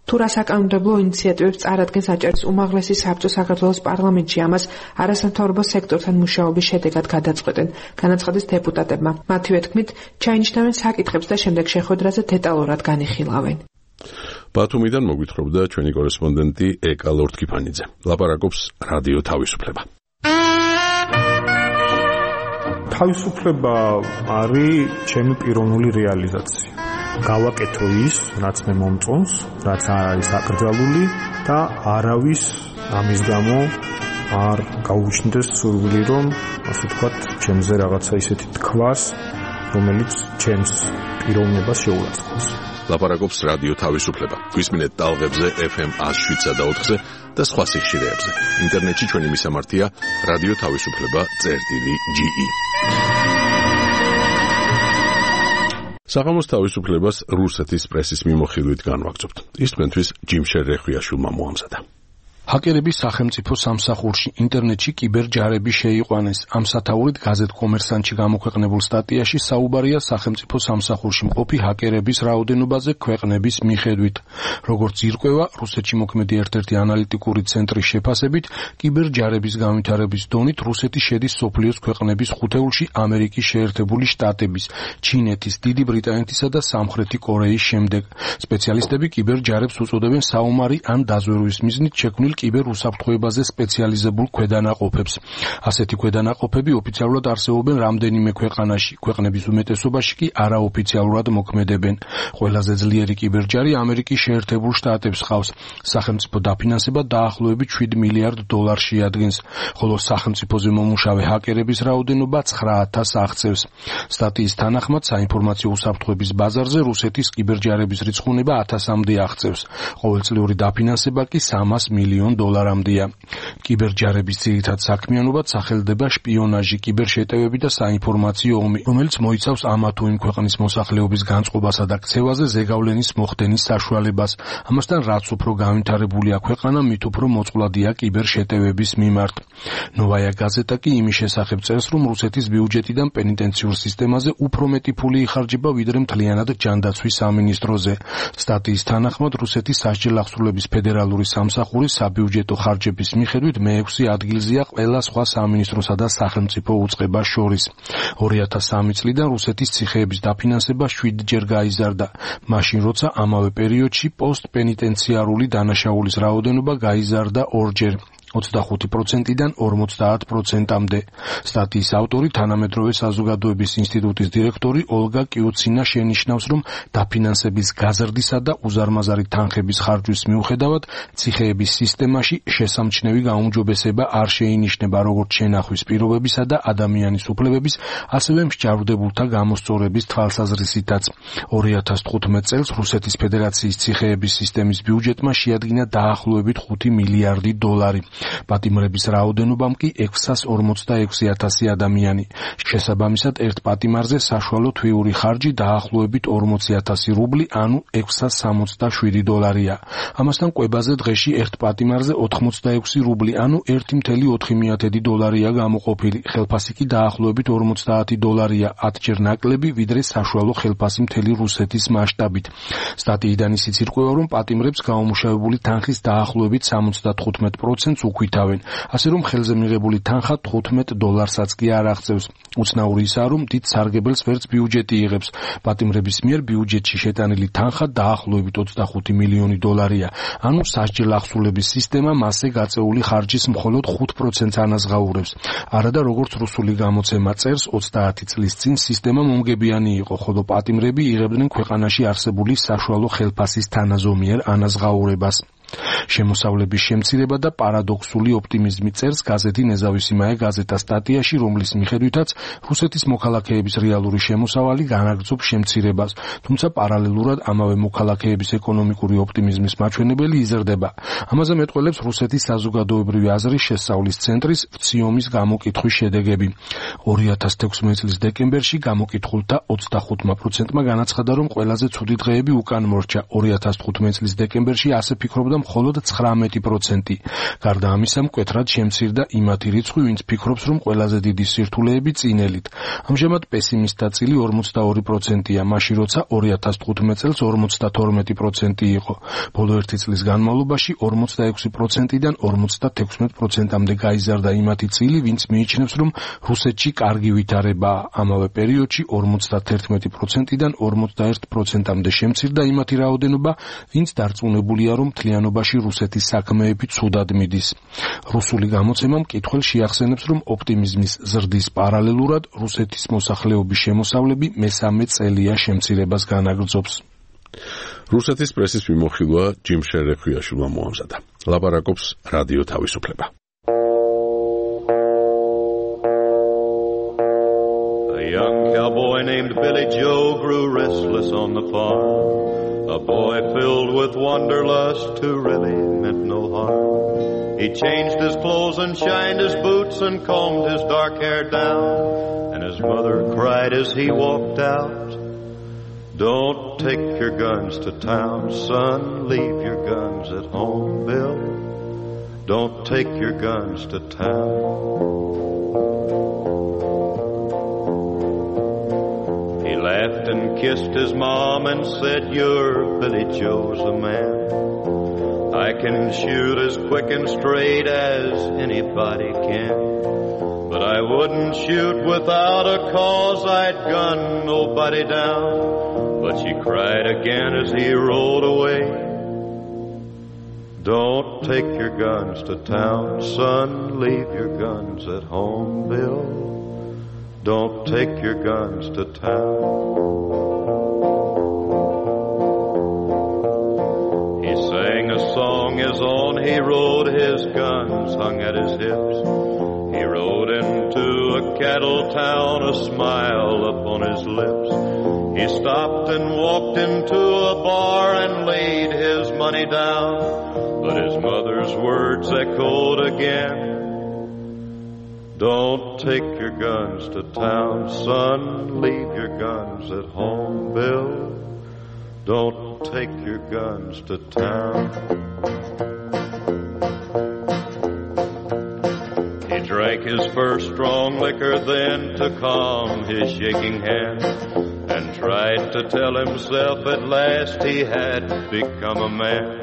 თუ რა საკანონმდებლო ინიციატივებს წარადგენს აჭარის უმაღლესი საბჭო საქართველოს პარლამენტში, ამას არასამთავრობო სექტორთან მუშაობის შედეგად გადაწყვეტენ, განაცხადეს დეპუტატებმა. მათივე თქმით, ჩაინიშნავენ საკითხებს და შემდეგ შეხვედრაზე დეტალურად განიხილავენ. ბათუმიდან მოგვითხრობდა ჩვენი კორესპონდენტი ეკა ლორთქიფანიძე. ლაპარაკობს რადიო თავისუფლება. თავისუფლება არის ჩემი პიროვნული რეალიზაცია. გავაკეთო ის, რაც მე მომწონს, რაც არ არის აკრძალული და არავის ამის გამო არ გაუჩნდეს სურვილი, რომ ასე ვთქვათ, ჩემზე რაღაცა ისეთი თქვას, რომელიც ჩემს პიროვნებას შეურაცხყოფს. ლაპარაკობს რადიო თავისუფლება. გვისმინეთ ტალღებზე ეფ ემ ათს შვიდსა და ოთხზე და სხვა სიხშირეებზე. ინტერნეტში ჩვენი მისამართია რადიო თავისუფლება წერტილი ჯი ი. საღამოს თავისუფლებას რუსეთის პრესის მიმოხილვით განვაგრძობთ. ის თქვენთვის ჯიმშერ რეხვიაშვილმა მოამზადა. ჰაკერები სახელმწიფო სამსახურში ინტერნეტში კიბერჯარები შეიყვანეს. ამ სათაურით გაზეთ კომერსანტში გამოქვეყნებულ სტატიაში საუბარია სახელმწიფო სამსახურში მყოფი ჰაკერების რაოდენობაზე ქვეყნების მიხედვით. როგორც ირკვევა, რუსეთში მოქმედი ერთ-ერთი ანალიტიკური ცენტრის შეფასებით, კიბერჯარების განვითარების დონით რუსეთი შედის სოფლიოს ქვეყნების ხუთეულში ამერიკის შეერთებული შტატების, ჩინეთის, დიდი ბრიტანეთისა და სამხრეთი კორეის შემდეგ. სპეციალისტები კიბერჯარებს უწოდებენ საომარი ან დაზვერვის მიზნით შექმნილ კიბერ უსაფრთხოებაზე სპეციალიზებულ ქვედანაყოფებს. ასეთი ქვედანაყოფები ოფიციალურად არსებობენ რამდენიმე ქვეყანაში, ქვეყნების უმეტესობაში კი არაოფიციალურად მოქმედებენ. ყველაზე ძლიერი კიბერჯარი ამერიკის შეერთებულ შტატებს ჰყავს. სახელმწიფო დაფინანსება დაახლოებით შვიდ მილიარდ დოლარს შეადგენს, ხოლო სახელმწიფოზე მომუშავე ჰაკერების რაოდენობა ცხრა ათასს აღწევს. სტატიის თანახმად საინფორმაციო უსაფრთხოების ბაზარზე რუსეთის კიბერჯარების რიცხუნება ათასამდე აღწევს. ყოველწლიური დაფინანსება კი სამას მილიონ დოლარამდეა. კიბერჯარების ძირითად საქმიანობად სახელდება შპიონაჟი, კიბერშეტევები და საინფორმაციო ომი, რომელიც მოიცავს ამა თუ იმ ქვეყნის მოსახლეობის განწყობასა და ქცევაზე ზეგავლენის მოხდენის საშუალებას. ამასთან რაც უფრო განვითარებულია ქვეყანა, მით უფრო მოწყვლადია კიბერშეტევების მიმართ. ნოვაია გაზეტა კი იმის შესახებ წერს, რომ რუსეთის ბიუჯეტიდან პენიტენციურ სისტემაზე უფრო მეტი ფული იხარჯება, ვიდრე მთლიანად ჯანდაცვის სამინისტროზე. სტატიის თანახმად რუსეთის სასჯელ აღსრულების ფედერალური სამსახური საბიუჯეტო ხარჯების მიხედვით მეექვსე ადგილზეა ყველა სხვა სამინისტროსა და სახელმწიფო უწყებას შორის. ორი ათას სამი წლიდან რუსეთის ციხეების დაფინანსება შვიდჯერ გაიზარდა, მაშინ როცა ამავე პერიოდში პოსტპენიტენციარული დანაშაულის რაოდენობა გაიზარდა ორჯერ. ოცდახუთი პროცენტიდან ორმოცდაათ პროცენტამდე. სტატიის ავტორი, თანამედროვე საზოგადოების ინსტიტუტის დირექტორი ოლგა კიუცინა შენიშნავს, რომ დაფინანსების გაზრდისა და უზარმაზარი თანხების ხარჯვის მიუხედავად ციხეების სისტემაში შესამჩნევი გაუმჯობესება არ შეინიშნება როგორც შენახვის პირობებისა და ადამიანის უფლებების, ასევე მსჯავრდებულთა გამოსწორების თვალსაზრისითაც. ორი ათას თხუთმეტ წელს რუსეთის ფედერაციის ციხეების სისტემის ბიუჯეტმა შეადგინა დაახლოებით ხუთი მილიარდი დოლარი. პატიმრების რაოდენობამ კი ექვსას ორმოცდაექვსი ათასი ადამიანი. შესაბამისად, ერთ პატიმარზე საშუალო თვიური ხარჯი დაახლოებით ორმოცი ათასი რუბლი, ანუ ექვსას სამოცდაშვიდი დოლარია. ამასთან კვებაზე დღეში ერთ პატიმარზე ოთხმოცდაექვსი რუბლი, ანუ ერთი მცდამეტი ოთხი დოლარია გამოყოფილი. ხელფასი კი დაახლოებით ორმოცდაათი დოლარია, ათჯერ ნაკლები, ვიდრე საშუალო ხელფასი მთელი რუსეთის მასშტაბით. სტატიიდან ისიც ირკვევა, რომ პატიმრებს გაუმუშავებული თანხის დაახლოებით სამოცდათხუთმეტ პროცენტს უკვითავენ, ასე რომ ხელზე მიღებული თანხა თხუთმეტ დოლარსაც კი არ აღწევს. უცნაური ისაა, რომ დიდ სარგებელს ვერც ბიუჯეტი იღებს. პატიმრების მიერ ბიუჯეტში შეტანილი თანხა დაახლოებით ოცდახუთი მილიონი დოლარია, ანუ სასჯელ აღსრულების სისტემა მასზე გაწეული ხარჯის მხოლოდ ხუთ პროცენტს ანაზღაურებს. არადა როგორც რუსული გამოცემა წერს, ოცდაათი წლის წინ სისტემა მომგებიანი იყო, ხოლო პატიმრები იღებდნენ ქვეყანაში არსებული საშუალო ხელფასის თანაზომიერ ანაზღაურებას. შემოსავლების შემცირება და პარადოქსული ოპტიმიზმი წერს გაზეთი ნეზავისიმაია გაზეტა სტატიაში, რომლის მიხედვითაც რუსეთის მოქალაქეების რეალური შემოსავალი განაგრძობს შემცირებას, თუმცა პარალელურად ამავე მოქალაქეების ეკონომიკური ოპტიმიზმის მაჩვენებელი იზრდება. ამაზე მეტყველებს რუსეთის საზოგადოებრივი აზრის შესწავლის ცენტრის ვციომის გამოკითხვის შედეგები. ორი ათას თექვსმეტ წლის დეკემბერში გამოკითხულთა ოცდახუთ პროცენტმა განაცხადა, რომ ყველაზე ცუდი დღეები უკან მორჩა. ორი ათას თხუთმეტ წლის დეკემბერში ასე ფიქრობდა მხოლოდ ცხრამეტი პროცენტი. გარდა ამისა, მკვეთრად შემცირდა იმათი რიცხვი, ვინც ფიქრობს, რომ ყველაზე დიდი სირთულეები წინელით. ამჟამად პესიმისტთა წილი ორმოცდაორი პროცენტია, მაშინ როცა ორი ათას თხუთმეტ წელს ორმოცდათორმეტი პროცენტი იყო. ბოლო ერთი წლის განმავლობაში ორმოცდაექვსი პროცენტიდან ორმოცდათექვსმეტ პროცენტამდე გაიზარდა იმათი წილი, ვინც მიიჩნევს, რომ რუსეთში კარგი ვითარებაა. ამავე პერიოდში ორმოცდათერთმეტი პროცენტიდან ორმოცდაერთ პროცენტამდე შემცირდა იმათი რაოდენობა, ვინც დარწმუნებულია, რომ მთლიანობაში რუსეთის საქმეები ცუდად მიდის. რუსული გამოცემა მკითხველს შეახსენებს, რომ ოპტიმიზმის ზრდის პარალელურად რუსეთის მოსახლეობის შემოსავლები მესამე წელია შემცირებას განაგრძობს. რუსეთის პრესის მიმოხილვა ჯიმ შერეხვიაშვილმა მოამზადა. ლაპარაკობს რადიო თავისუფლება. A young cowboy named Billy Joe grew restless on the farm. A boy filled with wanderlust who really meant no harm. He changed his clothes and shined his boots and combed his dark hair down. And his mother cried as he walked out, "Don't take your guns to town, son. Leave your guns at home, Bill. Don't take your guns to town." He laughed and kissed his mom and said, "You're Billy Joe's a man. I can shoot as quick and straight as anybody can. But I wouldn't shoot without a cause, I'd gun nobody down." But she cried again as he rode away, Don't take your guns to town, son, leave your guns at home, Bill. Don't take your guns to town. He sang a song his own, he rode his guns hung at his hips. He rode into a cattle town, a smile upon his lips. He stopped and walked into a bar and laid his money down, but his mother's words echoed again. Don't take your guns to town, son, leave your guns at home, Bill. Don't take your guns to town. He drank his first strong liquor then to calm his shaking hand, and tried to tell himself at last he had become a man.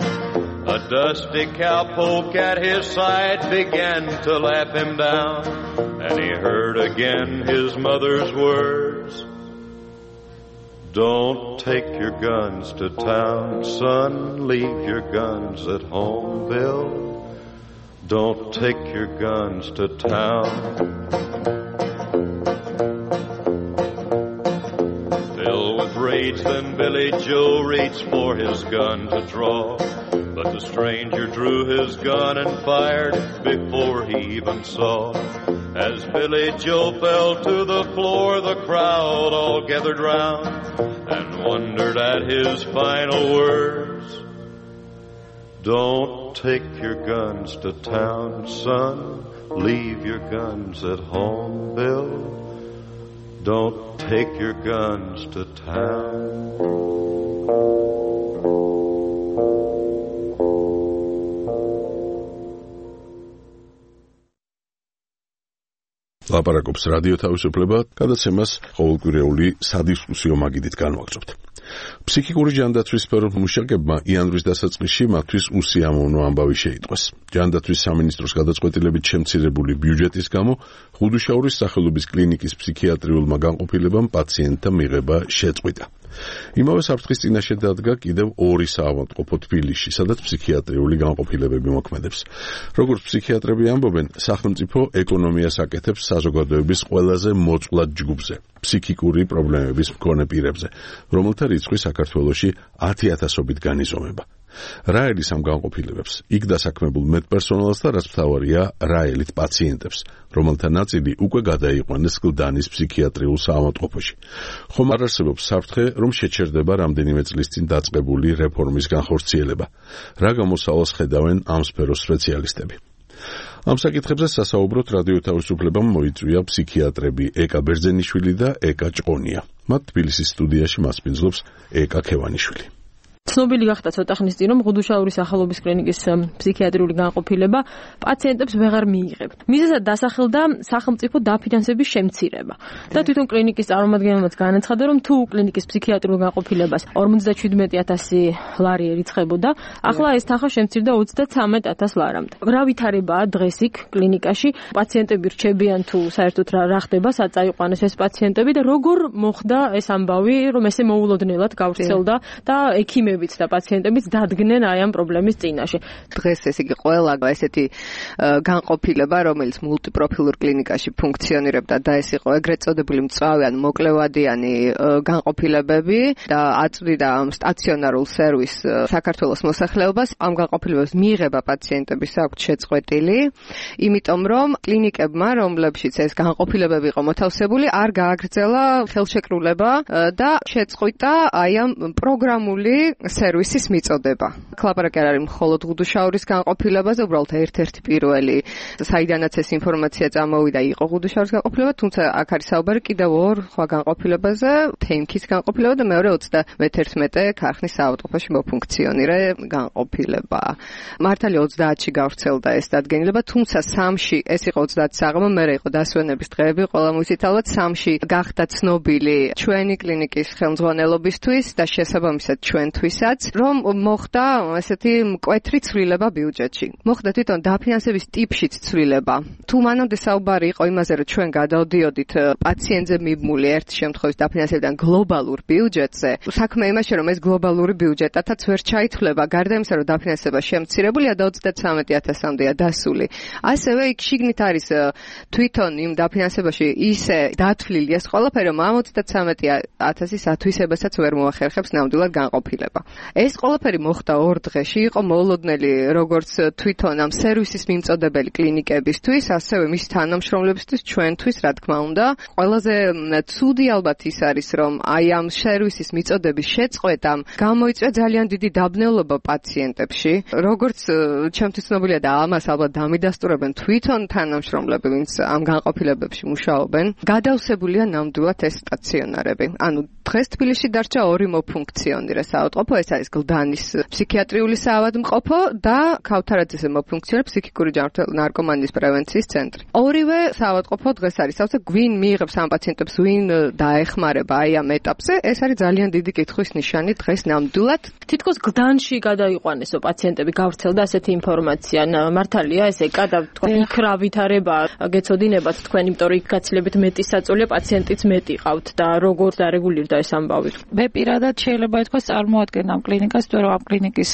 A dusty cowpoke at his side began to laugh him down, and he heard again his mother's words. Don't take your guns to town, son, leave your guns at home, Bill. Don't take your guns to town. Filled with rage, then Billy Joe reached for his gun to draw, but the stranger drew his gun and fired before he even saw. As Billy Joe fell to the floor, the crowd all gathered round and wondered at his final words. Don't take your guns to town, son, leave your guns at home, Bill. Don't take your guns to town. ლაპარაკობს რადიო თავისუფლება, გადაცემას ყოველკვირეული სადისკუსიო მაგიდით განვაგრძობთ. ფსიქიკური ჯანდაცვის სფეროს მუშაკებმა იანვრის დასაწყისში მათთვის უსიამოვნო ამბავი შეიტყვეს. ჯანდაცვის სამინისტროს გადაწყვეტილებით შემცირებული ბიუჯეტის გამო ხუდუშაურის სახელობის კლინიკის ფსიქიატრიულმა განყოფილებამ პაციენტთა მიღება შეწყვიტა. იმავე საფრთხის წინაშე დადგა კიდევ ორი საავადმყოფო თბილისში, სადაც ფსიქიატრიული განყოფილებები მოქმედებს. როგორც ფსიქიატრები ამბობენ, სახელმწიფო ეკონომიას აკეთებს საზოგადოების ყველაზე მოწყვლად ჯგუფზე, ფსიქიკური პრობლემების მქონე პირებზე, რომელთა რიცხვი საქართველოში ათი ათასობით განიზომება. რა ელის ამ განყოფილებებს? იქ დასაქმებულ მედპერსონალს და რაც მთავარია, რა ელით პაციენტებს, რომელთა ნაწილი უკვე გადაიყვანეს კლდანის ფსიქიატრიულ საავადმყოფოში. ხომ არ არსებობს საფრთხე, რომ შეჩერდება რამდენიმე წლის წინ დაწყებული რეფორმის განხორციელება? რა გამოსავალს ხედავენ ამ სფეროს სპეციალისტები? ამ საკითხებზე სასაუბროთ რადიო თავისუფლებამ მოიწვია ფსიქიატრები ეკა ბერძენიშვილი და ეკა ჭყონია. მათ თბილისის სტუდიაში მასპინძლობს ეკა ქევანიშვილი. ცნობილი გახდა ცოტა ხნის წინ, რომ ხუდუშაურის სახელობის კლინიკის ფსიქიატრიული განყოფილება პაციენტებს ვეღარ მიიღებთ. მიზეზად დასახელდა სახელმწიფო დაფინანსების შემცირება. და თვითონ კლინიკის წარმომადგენელმაც განაცხადა, რომ თუ კლინიკის ფსიქიატრიულ განყოფილებას ორმოცდაჩვიდმეტი ათასი ლარი ერიცხებოდა, ახლა ეს თანხა შემცირდა ოცდათვრამეტ ათას ლარამდე. რა ვითარებაა დღეს იქ კლინიკაში? პაციენტები რჩებიან თუ საერთოდ რა ხდება, სად წაიყვანეს ეს პაციენტები და როგორ მოხდა ეს ამბავი, რომ ესე მოულოდნელად გავრცელდა და ექიმები და პაციენტებიც დადგნენ აი ამ პრობლემის წინაშე. დღეს ეს იგი ყველა ესეთი განყოფილება, რომელიც მულტიპროფილურ კლინიკაში ფუნქციონირებდა და ეს იყო ეგრეთ წოდებული მწვავე ან მოკლევადიანი განყოფილებები და აწვდიდა ამ სტაციონარულ სერვისს საქართველოს მოსახლეობას. ამ განყოფილებებს მიიღება პაციენტების აქვთ შეწყვეტილი, იმიტომ რომ კლინიკებმა, რომლებშიც ეს განყოფილებები იყო მოთავსებული, არ გააგრძელა ხელშეკრულება და შეწყვიტა აი ამ პროგრამული სერვისის მიწოდება. ლაპარაკი არ არის მხოლოდ ხუდუშაურის განყოფილებაზე, უბრალოდ ერთ-ერთი პირველი, საიდანაც ეს ინფორმაცია წამოვიდა, იყო ხუდუშაურის განყოფილება, თუმცა აქ არის საუბარი კიდევ ორ სხვა განყოფილებაზე, თემქის განყოფილება და მეორე ოცდამეთერთმეტე ქარხნის საავადმყოფოში მოფუნქციონირე განყოფილება. მართალია ოცდაათში გავრცელდა ეს დადგენილება, თუმცა სამში ეს იყო ოცდაათი საღამო, მერე იყო დასვენების დღეები, ყველა მույსით ალბათ სამში გახდა ცნობილი ჩვენი კლინიკის ხელმძღვანელობისთვის და შესაბამისად ჩვენთვისაც როდესაც რომ მოხდა ესეთი მკვეთრი ცვლილება ბიუჯეტში. მოხდა თვითონ დაფინანსების ტიპშიც ცვლილება. თუ მანამდე საუბარი იყო იმაზე, რომ ჩვენ გადავდიოდით პაციენტზე მიბმული ერთ შემთხვევის დაფინანსებიდან გლობალურ ბიუჯეტზე, საქმე იმაშია, რომ ეს გლობალური ბიუჯეტათაც ვერ ჩაითვლება, გარდა იმისა, რომ დაფინანსება შემცირებულია და ოცდათვრამეტი ათასამდეა დასული. ასევე იქ შიგნით არის თვითონ იმ დაფინანსებაში ისე დათვლილი ეს ყველაფერი, რომ ამ ოცდათვრამეტი ათასის ათვისებასაც ვერ მოახერხებს ნამდვილად განყოფილება. ეს ყველაფერი მოხდა ორ დღეში, იყო მოულოდნელი როგორც თვითონ ამ სერვისის მიმწოდებელი კლინიკებისთვის, ასევე მის თანამშრომლებისთვის, ჩვენთვის, რა თქმა უნდა. ყველაზე ცუდი ალბათ ის არის, რომ აი ამ სერვისის მიწოდების შეწყვეტამ გამოიწვია ძალიან დიდი დაბნელობა პაციენტებში. როგორც ჩემთვის ცნობილია და ამას ალბათ დამიდასტურებენ თვითონ თანამშრომლები, ვინც ამ განყოფილებებში მუშაობენ, გადავსებულია ნამდვილად ეს სტაციონარები. ანუ დღეს თბილისში დარჩა ორი მოფუნქციონირე საავადმყოფო, ეს არის გლდანის ფსიქიატრიული საავადმყოფო და ქავთარაძეზე მოფუნქციონირებს ფსიქიკური ჯანმრთელობის ნარკომანიის პრევენციის ცენტრი. ორივე საავადმყოფო დღეს არის, სავსე გვინ მიიღებს ამ პაციენტებს, ვინ დაეხმარება აი ამ ეტაპზე, ეს არის ძალიან დიდი კითხვის ნიშანი დღეს ნამდვილად. თითქოს გლდანში გადაიყვანესო პაციენტები გავრცელდა ასეთი ინფორმაცია. მართალია ესე კადა თქვა იქ რა ვითარება გეცოდინებათ თქვენ, იმიტომ რომ იქ გაცილებით მეტი საწოლია, პაციენტიც მეტი ყავთ და როგორ დარეგულირდა ეს ამბავი. მე პირადად შეიძლება ითქვას წარმოადგენ ამ კლინიკას, იმიტომ რომ ამ კლინიკის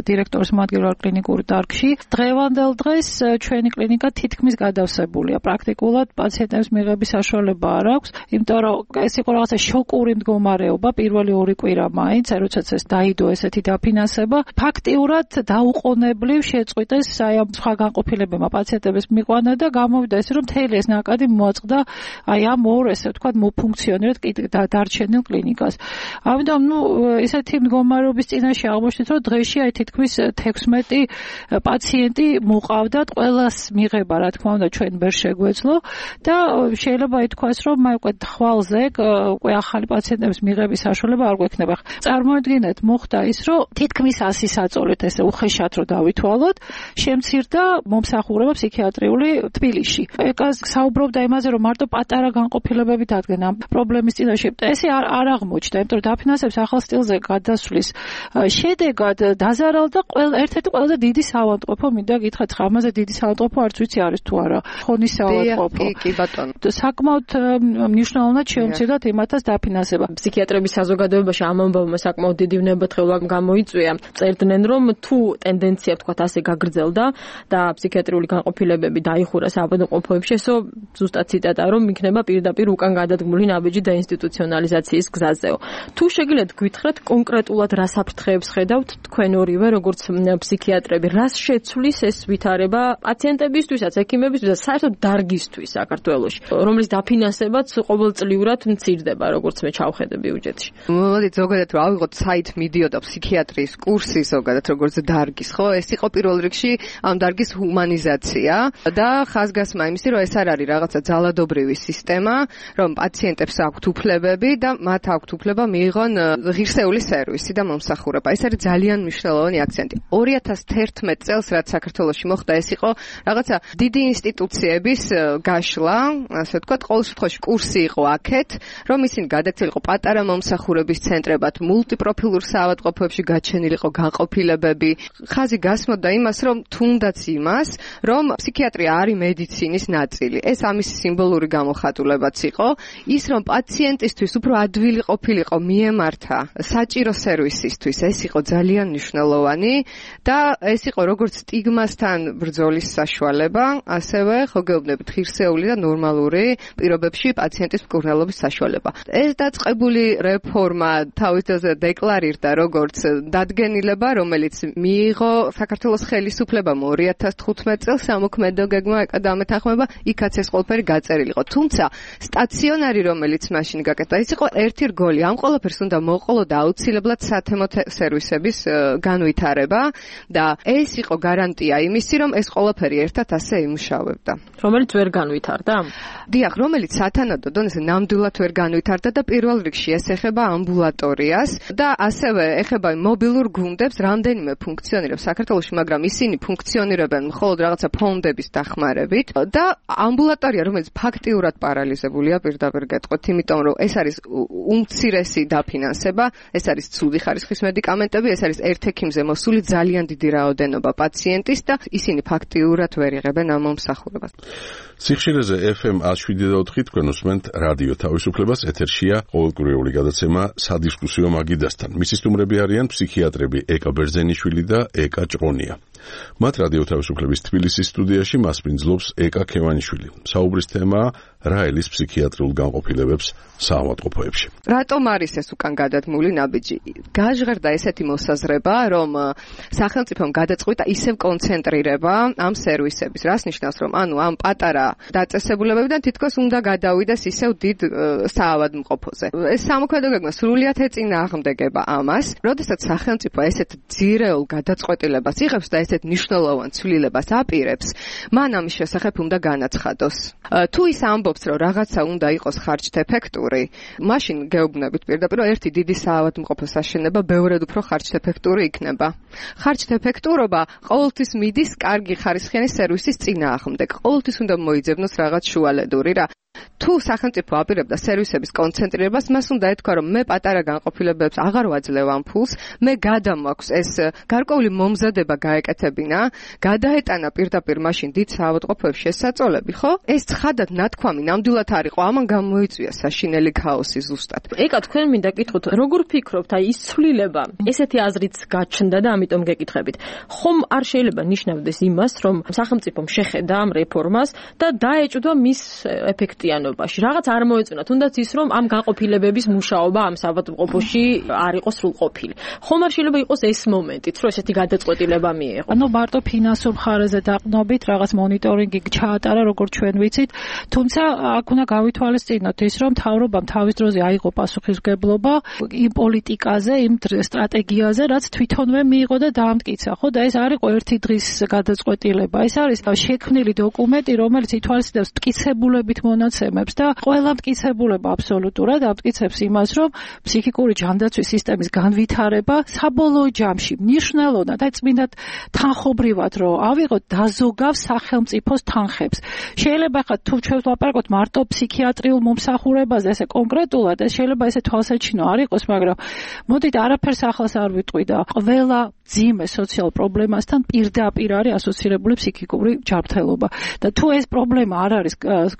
დირექტორის მოადგილე ვარ კლინიკურ დარგში. დღევანდელ დღეს ჩვენი კლინიკა თითქმის გადავსებულია. პრაქტიკულად პაციენტებს მიღების საშუალება არ აქვს, იმიტომ რომ ეს იყო რაღაცა შოკური მდგომარეობა პირველი ორი კვირა მაინც, როდესაც ეს დაიდო ესეთი დაფინანსება, ფაქტიურად დაუყოვნებლივ შეწყვიტეს აი ამ სხვა განყოფილებებმა პაციენტებს მიყვანა და გამოვიდა ესე რომ მთელი ეს ნაკადი მოაწყდა აი ამ ორ ესე ვთქვათ მოფუნქციონირებად დარჩენილ კლინიკას. ამიტომ ნუ ესეთი მდგომარეობის წინაშე აღმოჩნდით, რომ დღეში აი თითქმის თექვსმეტი პაციენტი მოყავდათ, ყველას მიღება რა თქმა უნდა ჩვენ ვერ შეგვეძლო და შეიძლება ითქვას, რომ აი უკვე თვალზე უკვე ახალი პაციენტების მიღების საშუალება არ გვექნება. წარმოიდგინეთ, მოხდა ის, რომ თითქმის ასი საწოლით ესე უხეშად რომ დავითვალოთ, შემცირდა მომსახურება ფსიქიატრიული თბილისში. ეკას საუბრობდა იმაზე, რომ მარტო პატარა განყოფილებები დადგენ ამ პრობლემის წინაშე. ესე არ არ აღმოჩნდა, იმიტომ რომ დაფინანსების ახალ სტილზე გადასვლის შედეგად დაზარალდა ყველა ერთ-ერთი ყველაზე დიდი საავადმყოფო, მინდა გითხრათ, ამაზე დიდი საავადმყოფო არც ვიცი არის თუ არა. ხონის საავადმყოფო. კი, კი ბატონო. საკმაოდ მნიშვნელოვნად შეუმცირდათ იმათაც დაფინანსება. ფსიქიატრების საზოგადოებაში ამ ამბავმა საკმაოდ დიდი ვნებათხოვნა გამოიწვია. წერდნენ, რომ თუ ტენდენცია ვთქვათ ასე გაგრძელდა და ფსიქიატრიული განყოფილებები დაიხურა საავადმყოფოებში, ესო ზუსტად ციტატა, რომ იქნება პირდაპირ უკან გადადგმული ნაბიჯი დაინსტიტუციონალიზაციის გზაზეო. თუ შეგიძლიათ გითხრათ კონკრეტულად რა საფრთხეებს ხედავთ თქვენ ორივე, როგორც ფსიქიატრები, რას შეცვლის ეს ვითარება პაციენტებისთვისაც, ექიმებისთვისაც, საერთოდ დარგისთვის საქართველოში, რომლის დაფინანსებაც ყოველწლიურად მცირდება, როგორც მე ჩავხედე ბიუჯეტში. მოდით ზოგადად რა ავიღოთ საით მიდიოდა ფსიქიატრიის კურსი ზოგადად როგორც დარგის, ხო? ეს იყო პირველ რიგში ამ დარგის ჰუმანიზაცია და ხაზგასმა იმისი, რომ ეს არ არის რაღაცა ძალადობრივი სისტემა, რომ პაციენტებს აქვთ უფლებები და მათ აქვთ უფლება მიიღონ ღირსეული სერვისი და მომსახურება. ეს არის ძალიან მნიშვნელოვანი აქცენტი. ორი ათას თერთმეტ წელს რაც საქართველოში მოხდა, ეს იყო რაღაცა დიდი ინსტიტუციების გაშლა, ასე ვთქვათ, ყოველ შემთხვევაში კურსი იყო აქეთ, რომ ისინი გადაქცეულიყო პატარა მომსახურების ცენტრებად, მულტიპროფილურ საავადმყოფოებში გაჩენილიყო განყოფილებები. ხაზი გასმოდა იმას, რომ თუნდაც იმას, რომ ფსიქიატრია არის მედიცინის ნაწილი. ეს ამის სიმბოლური გამოხატულებაც იყო, ის რომ პაციენტისთვის უფრო ადვილი ყოფილიყო მიემართა საჭირო სერვისისთვის, ეს იყო ძალიან მნიშვნელოვანი და ეს იყო როგორც სტიგმასთან ბრძოლის საშუალება, ასევე ხო გეუბნებით ღირსეული და ნორმალური პირობებში პაციენტის მკურნალობის საშუალება. ეს დაწყებული რეფორმა თავის დროზე დეკლარირდა როგორც დადგენილება, რომელიც მიიღო საქართველოს ხელისუფლებამ ორი ათას თხუთმეტ წელს სამოქმედო გეგმა ეკადამეთანხმება, იქაც ეს ყველაფერი გაწერილიყო. თუმცა სტაციონარი, რომელიც მაშინ გაკეთდა, ის იყო ერთი რგოლი. ამ ყველაფერს უნდა მოყოლო და აუცილებლად სათემო სერვისების განვითარება და ეს იყო გარანტია იმისი, რომ ეს ყველაფერი ერთად ასე იმუშავებდა. რომელიც ვერ განვითარდა? დიახ, რომელიც სათანადო დონეზე ნამდვილად ვერ განვითარდა და პირველ რიგში ეს ეხება ამბულატორიას და ასევე ეხება მობილურ გუნდებს, რამდენიმე ფუნქციონირებს საქართველოში, მაგრამ ისინი ფუნქციონირებენ მხოლოდ რაღაცა ფონდების დახმარებით და ამბულატორია, რომელიც ფაქტიურად პარალიზებულია, პირდაპირ გეტყვით, იმიტომ რომ ეს არის უმცირესი დაფინანსება, ეს არის ცუდი ხარისხის მედიკამენტები, ეს არის ერთ ექიმზე მოსული ძალიან დიდი რაოდენობა პაციენტის და ისინი ფაქტიურად ვერ იღებენ ამ მომსახურებას. სიხშირეზე ეფ ემ one seven point four თქვენ უსმენთ რადიო თავისუფლებას, ეთერშია ყოველკვირეული გადაცემა სადისკუსიო მაგიდასთან. მისი სტუმრები არიან ფსიქიატრები ეკა ბერძენიშვილი და ეკა ჭყონია. მათ რადიო თავისუფლების თბილისის სტუდიაში მასპინძლობს ეკა ქევანიშვილი. საუბრის თემაა რა ელის ფსიქიატრიულ განყოფილებებს საავადმყოფოებში. რატომ არის ეს უკან გადადგმული ნაბიჯი? გაჟღერდა ესეთი მოსაზრება, რომ სახელმწიფომ გადაწყვიტა ისევ კონცენტრირება ამ სერვისების. რას ნიშნავს, რომ ანუ ამ პატარა დაწესებულებებიდან თითქოს უნდა გადავიდეს ისევ დიდ საავადმყოფოზე. ეს სამოქმედო გეგმა სრულიად ეწინააღმდეგება ამას, როდესაც სახელმწიფო ესეთ ძირეულ გადაწყვეტილებას იღებს და ესეთ მნიშვნელოვან ცვლილებას აპირებს, მან ამის შესახებ უნდა განაცხადოს. თუ ის ამბობს, რომ რაღაცა უნდა იყოს ხარჯთეფექტური, მაშინ გეუბნებით პირდაპირ, ერთი დიდი საავადმყოფოს აშენება ბევრად უფრო ხარჯთეფექტური იქნება. ხარჯთეფექტურობა ყოველთვის მიდის კარგი ხარისხიანი სერვისის წინააღმდეგ. ყოველთვის უნდა მოიძებნოს რაღაც შუალედური რა. თუ სახელმწიფო აპირებდა სერვისების კონცენტრირებას, მას უნდა ეთქვა, რომ მე პატარა განყოფილებებს აღარ ვაძლევ ამ ფულს, მე გადამაქვს ეს გარკვეული მომზადება გაეკეთებინა, გადაეტანა პირდაპირ მაშინ დიდ საავადმყოფოებში შესაწოლები, ხო? ეს ცხადად ნათქვამი ნამდვილად არ იყო, ამან გამოიწვია საშინელი ქაოსი ზუსტად. ეკა, თქვენ მინდა გითხოთ, როგორ ფიქრობთ, აი ის ცვლილება, ესეთი აზრიც გაჩნდა და ამიტომ გეკითხებით. ხომ არ შეიძლება ნიშნავდეს იმას, რომ სახელმწიფომ შეხედა ამ რეფორმას და დაეჭვდა მის ეფექტიანობაში. რაღაც არ მოეწონა, თუნდაც ის, რომ ამ განყოფილებების მუშაობა ამ საავადმყოფოში არ იყოს სრულყოფილი. ხომ არ შეიძლება იყოს ეს მომენტიც, რომ ესეთი გადაწყვეტილება მიიღო. ანუ მარტო ფინანსურ მხარეზე დაყნობით რაღაც მონიტორინგი ჩაატარა, როგორც ჩვენ ვიცით, თუმცა აქ უნდა გავითვალისწინოთ ის, რომ მთავრობამ თავის დროზე აიღო პასუხისმგებლობა იმ პოლიტიკაზე, იმ სტრატეგიაზე, რაც თვითონვე მიიღო და დაამტკიცა, ხო? და ეს არ იყო ერთი დღის გადაწყვეტილება. ეს არის შექმნილი დოკუმენტი, რომელიც ითვალისწინებს მტკიცებულებით მონაცემებს და ყველა მტკიცებულება აბსოლუტურად ამტკიცებს იმას, რომ ფსიქიკური ჯანდაცვის სისტემის განვითარება საბოლოო ჯამში მნიშვნელოვნად და წმინდად თანხობრივად რომ ავიღოთ დაზოგავს სახელმწიფოს თანხებს. შეიძლება ხა თუ ჩვენ ვლაპარაკოთ მარტო ფსიქიატრიულ მომსახურებაზე, ესე კონკრეტულად, ეს შეიძლება ესე თვალსაჩინო არ იყოს, მაგრამ მოდით არაფერს ახალს არ ვიტყვი და ყველა ძიმე სოციალურ პრობლემასთან პირდაპირ არის ასოცირებული ფსიქიკური ჯანმრთელობა. და თუ ეს პრობლემა არ არის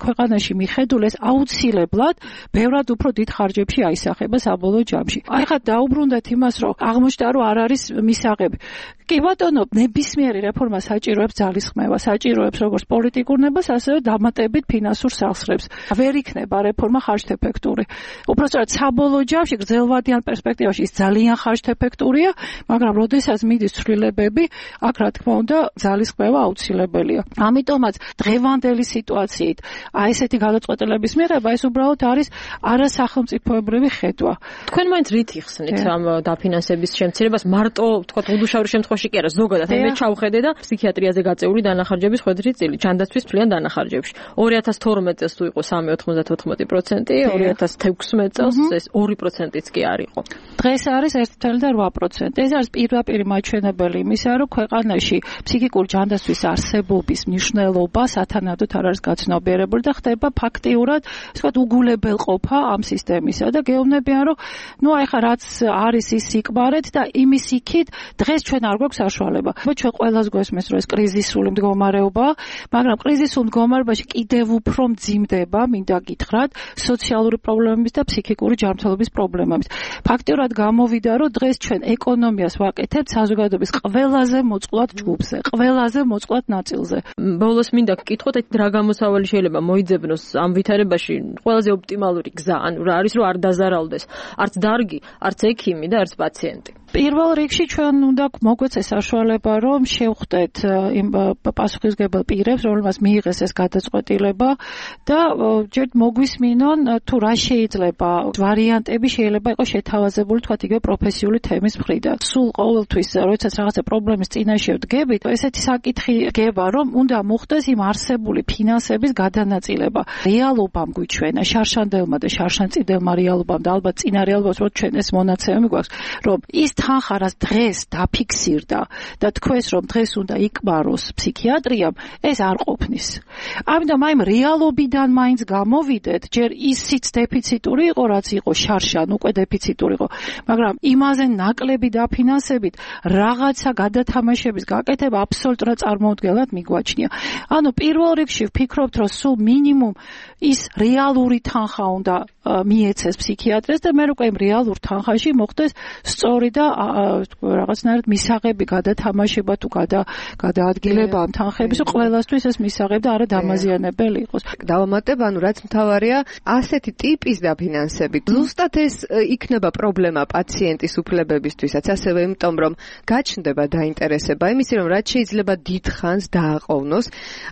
ქვეყანაში მიხედული, ეს აუცილებლად ბევრად უფრო დიდ ხარჯებში აისახება საბოლოო ჯამში. აი ხა დაუბრუნდეთ იმას, რომ აღმოჩნდა, რომ არ არის მისაღები. კი ბატონო, ნებისმიერი რეფორმა საჭიროებს ძალისხმევა, საჭიროებს როგორც პოლიტიკურ ნებას, ასევე დამატებით ფინანსურ სახსრებს. ვერ იქნება რეფორმა ხარჯთეფექტური. უпростоრად საბოლოო ჯამში გრძელვადიან პერსპექტივაში ის ძალიან ხარჯთეფექტურია, მაგრამ როდესაც მიდის ცვლილებები, აქ რა თქმა უნდა ძალისხმევა აუცილებელია. ამიტომაც დღევანდელი სიტუაციით აი ესეთი გადაწყვეტილების მიღება ეს უბრალოდ არის არასახელმწიფოებრივი ხედვა. თქვენ მაინც რით იხსნით ამ დაფინანსების შემცირებას? მარტო თქვა უდუშავი შემთხვევაში კი არა, ზოგადად მე ჩავხედე და ფსიქიატრიაზე გაწეული დანახარჯების ხვედრი წილი, ჯანდაცვის მთლიან დანახარჯებში. ორი ათას თორმეტ წელს თუ იყო სამი ოცდაოთხ პროცენტი, ორი ათას თექვსმეტ წელს ეს ორი პროცენტიც კი არ იყო. დღეს არის ერთი წელი რვა პროცენტი. ეს არის პირდაპირი მაჩვენებელი იმისა, რომ ქვეყანაში ფსიქიკური ჯანდაცვის არსებობის მნიშვნელობა სათანადოდ არ არის გაცნობიერებული და ხდება ფაქტიურად, ასე ვთქვათ, უგულებელყოფა ამ სისტემისა და გეუბნებიან, რომ ნუ აი ხა რაც არის ის სიკბარეთ და იმის იქით დღეს ჩვენ არ გვაქვს საშუალება. ჩვენ ყველას გვესმის, რომ ეს კრიზისული მდგომარეობაა, მაგრამ კრიზისულ მდგომარეობაში კიდევ უფრო მძიმდება, მინდა გითხრათ, სოციალური პრობლემების და ფსიქიკური ჯანმრთელობის პრობლემების. ფაქტიურად გამოვიდა, რომ დღეს ჩვენ ეკონომიას ვაკეთებთ საზოგადოების ყველაზე მოწყვლად ჯგუფზე, ყველაზე მოწყვლად ნაწილზე. ბოლოს მინდა გკითხოთ, რა გამოსავალი შეიძლება მოიძებნოს ამ ვითარებაში ყველაზე ოპტიმალური გზა, ანუ რა არის, რომ არ დაზარალდეს არც დარგი, არც ექიმი და არც პაციენტი. პირველ რიგში ჩვენ უნდა მოგვეცეს საშუალება, რომ შევხვდეთ იმ პასუხისმგებელ პირებს, რომელმაც მიიღეს ეს გადაწყვეტილება და ჯერ მოგვისმინონ, თუ რა შეიძლება ვარიანტები შეიძლება იყოს შეთავაზებული, თქვათ იგივე პროფესიული თემის მხრიდან. სულ ყოველთვის, როდესაც რაღაცა პრობლემის წინაშე ვდგებით, ესეთი საკითხი გება, რომ უნდა მოხდეს იმ არსებული ფინანსების გადანაწილება. რეალობამ გვიჩვენა, შარშანდელმა და შარშანწიდებმა რეალობამ და ალბათ წინა რეალობებს, რომ ჩვენ ეს მონაცემები გვაქვს, რომ ის თანხა რაც დღეს დაფიქსირდა და თქვენს რომ დღეს უნდა იკბაროს ფსიქიატრიამ, ეს არ ყოფნის. ამიტომ აი რეალობიდან მაინც გამოვიდეთ, ჯერ ისიც დეფიციტური იყო, რაც იყო შარშან, უკვე დეფიციტური იყო, მაგრამ იმაზე ნაკლები დაფინანსებით რაღაცა გადათამაშების გაკეთება აბსოლუტურად წარმოუდგენლად მიგვაჩნია. ანუ პირველ რიგში ვფიქრობთ, რომ სულ მინიმუმ ის რეალური თანხა უნდა მიეცეს ფსიქიატრეს და მე უკვე იმ რეალურ თანხაში მოხდეს სწორი და რაღაცნაირად მისაღები გადათამაშება თუ გადაადგილება ამ თანხების, ყველასთვის ეს მისაღები და არა დამაზიანებელი იყოს. დავამატებ, ანუ რაც მთავარია, ასეთი ტიპის დაფინანსებით ზუსტად ეს იქნება პრობლემა პაციენტის უფლებებისთვისაც, ასევე იმიტომ რომ გაჩნდება დაინტერესება იმისი, რომ რაც შეიძლება დიდ ხანს დააყოვნოს,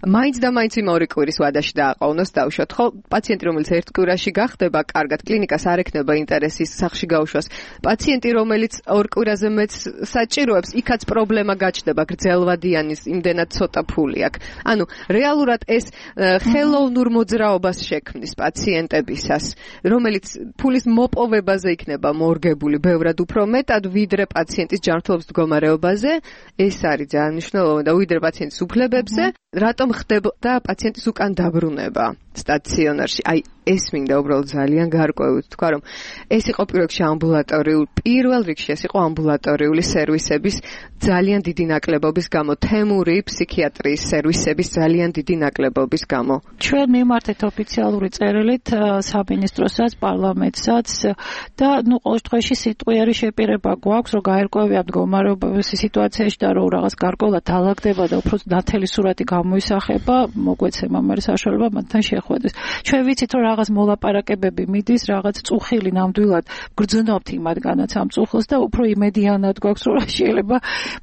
მაინც და მაინც იმავე კვირის ვადაში დააყოვნოს, დავუშვათ, ხო, პაციენტი რომელიც ერთ კვირაში გახდება კარგად, კლინიკას არ ექნება ინტერესის სახში გაუშვას. პაციენტი რომელიც ორ კვირაზე მეც საჭიროებს, იქაც პრობლემა გაჩნდება, გრძელვადიანის იმდენად ცოტა ფული აქვს. ანუ რეალურად ეს ხელოვნურ მოძრაობას შექმნის პაციენტებისას, რომელიც ფულის მოპოვებაზე იქნება მორგებული ბევრად უფრო მეტად, ვიდრე პაციენტის ჯანმრთელობის მდგომარეობაზე, ეს არის ძალიან მნიშვნელოვანი და ვიდრე პაციენტის უფლებებზე, რატომ ხდება პაციენტის უკან დაბრუნება სტაციონარში. აი ეს მინდა უბრალოდ ძალიან გარკვევით თქვა, რომ ეს იყო პირველ რიგში ამბულატორიული, პირველ რიგში ეს იყო ამბულატორიული სერვისების ძალიან დიდი ნაკლებობის გამო, თემური ფსიქიატრიის სერვისების ძალიან დიდი ნაკლებობის გამო. ჩვენ მიმართეთ ოფიციალური წერილით სამინისტროსაც, პარლამენტსაც და ნუ ყოველ შემთხვევაში სიტყვიერი შეპირება გვაქვს, რომ გაერკვევია მდგომარეობის სიტუაციაში და რომ რაღაც გარკვეულად დაალაგდება და უფრო ნათელი სურათი გამოისახება, მოგვეცემა მე საშუალება მათთან შეხვედრის. ჩვენ ვიცით, რომ რაღაც მოლაპარაკებები მიდის, რაღაც წუხილი ნამდვილად გრძნობთ იმათგანაც ამ წუხილს და უფრო იმედიანად გვაქვს, რომ შეიძლება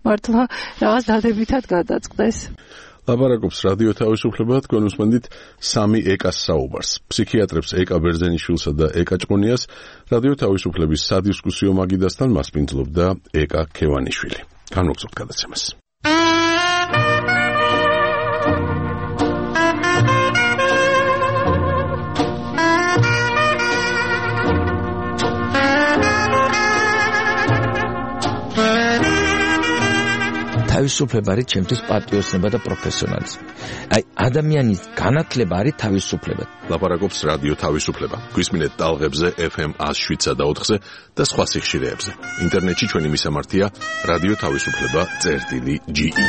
მართლა რაღაც დადებითად გადაწყდეს. ლაპარაკობს რადიო თავისუფლება, თქვენ უსმენთ სამი ეკას საუბარს. ფსიქიატრებს ეკა ბერძენიშვილსა და ეკა ჭყონიას რადიო თავისუფლების სადისკუსიო მაგიდასთან მასპინძლობდა ეკა ქევანიშვილი. განვაგრძობთ გადაცემას. თავისუფლება არის ჩემთვის პატრიოტიზმი და პროფესიონალიზმი. აი ადამიანის განათლება არის თავისუფლება. ლაპარაკობს რადიო თავისუფლება. გვისმინეთ ტალღებზე ეფ ემ one oh seven და ოთხზე და სხვა სიხშირეებზე. ინტერნეტში ჩვენი მისამართია რადიო თავისუფლება წერტილი ჯი ი.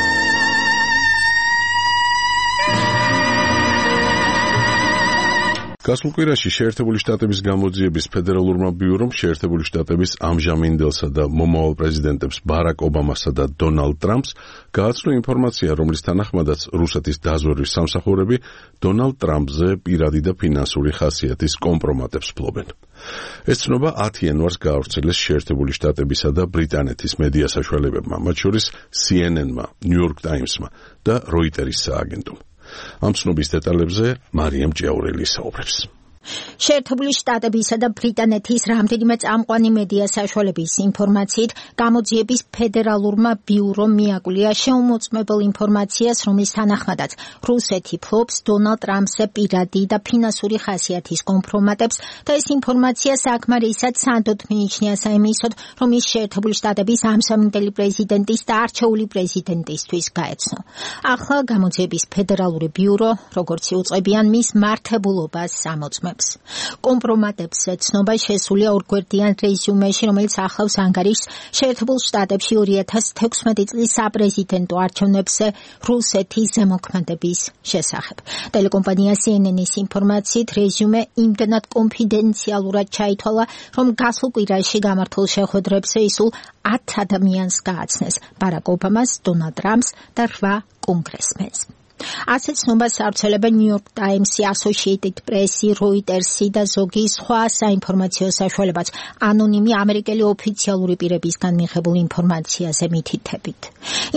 გასულ კვირაში შეერთებული შტატების გამოძიების ფედერალურმა ბიურომ შეერთებული შტატების ამჟამინდელსა და მომავალ პრეზიდენტებს ბარაკ ობამასა და დონალდ ტრამპს გააცნო ინფორმაცია, რომლის თანახმადაც რუსეთის დაზვერვის სამსახურები დონალდ ტრამპზე პირადი და ფინანსური ხასიათის კომპრომატებს ფლობენ. ეს ცნობა ათი იანვარს გაავრცელეს შეერთებული შტატებისა და ბრიტანეთის მედია საშუალებებმა, მათ შორის სი ენ ენ-მა, ნიუ იორკ ტაიმსმა და როიტერის სააგენტომ. ამ ცნობის დეტალებზე მარიამ ჭიაურელი საუბრებს. შეერთებული შტატებისა და ბრიტანეთის რამდენიმე წამყვანი მედია საშუალების ინფორმაციით გამოძიების ფედერალურმა ბიურომ მიაკვლია შეუმოწმებელ ინფორმაციას, რომლის თანახმადაც რუსეთი ფლობს დონალდ ტრამპზე პირადი და ფინანსური ხასიათის კომპრომატებს და ეს ინფორმაცია საკმარისად სანდოდ მიიჩნია საიმისოდ, რომ ის შეერთებული შტატების ამსამინდელი პრეზიდენტის და არჩეული პრეზიდენტისთვის გაეცნო. ახლა გამოძიების ფედერალური ბიურო, როგორც იუწყებიან, მის მართებულობას ამოწმებს. კომპრომატებს ცნობა შესულია ორგვერდიან რეზიუმეში, რომელიც ახლავს ანგარიშს შეერთებულ შტატებში ორი ათას თექვსმეტი წლის საპრეზიდენტო არჩევნებზე რუსეთის ზემოქმედების შესახებ. ტელეკომპანია სი ენ ენ-ის ინფორმაციით რეზიუმე იმდენად კონფიდენციალურად ჩაითვალა, რომ გასულ კვირაში გამართულ შეხვედრებზე ისულ ათ ადამიანს გააცნეს: ბარაკ ობამას, დონალდ ტრამპს და რვა კონგრესმენს. ასეთ ცნობას ავრცელებენ ნიუ იორკ ტაიმსი, ასოციეიტედ პრესი, როიტერსი და ზოგი სხვა საინფორმაციო საშუალებაც ანონიმი ამერიკელი ოფიციალური პირებისგან მიღებულ ინფორმაციაზე მითითებით.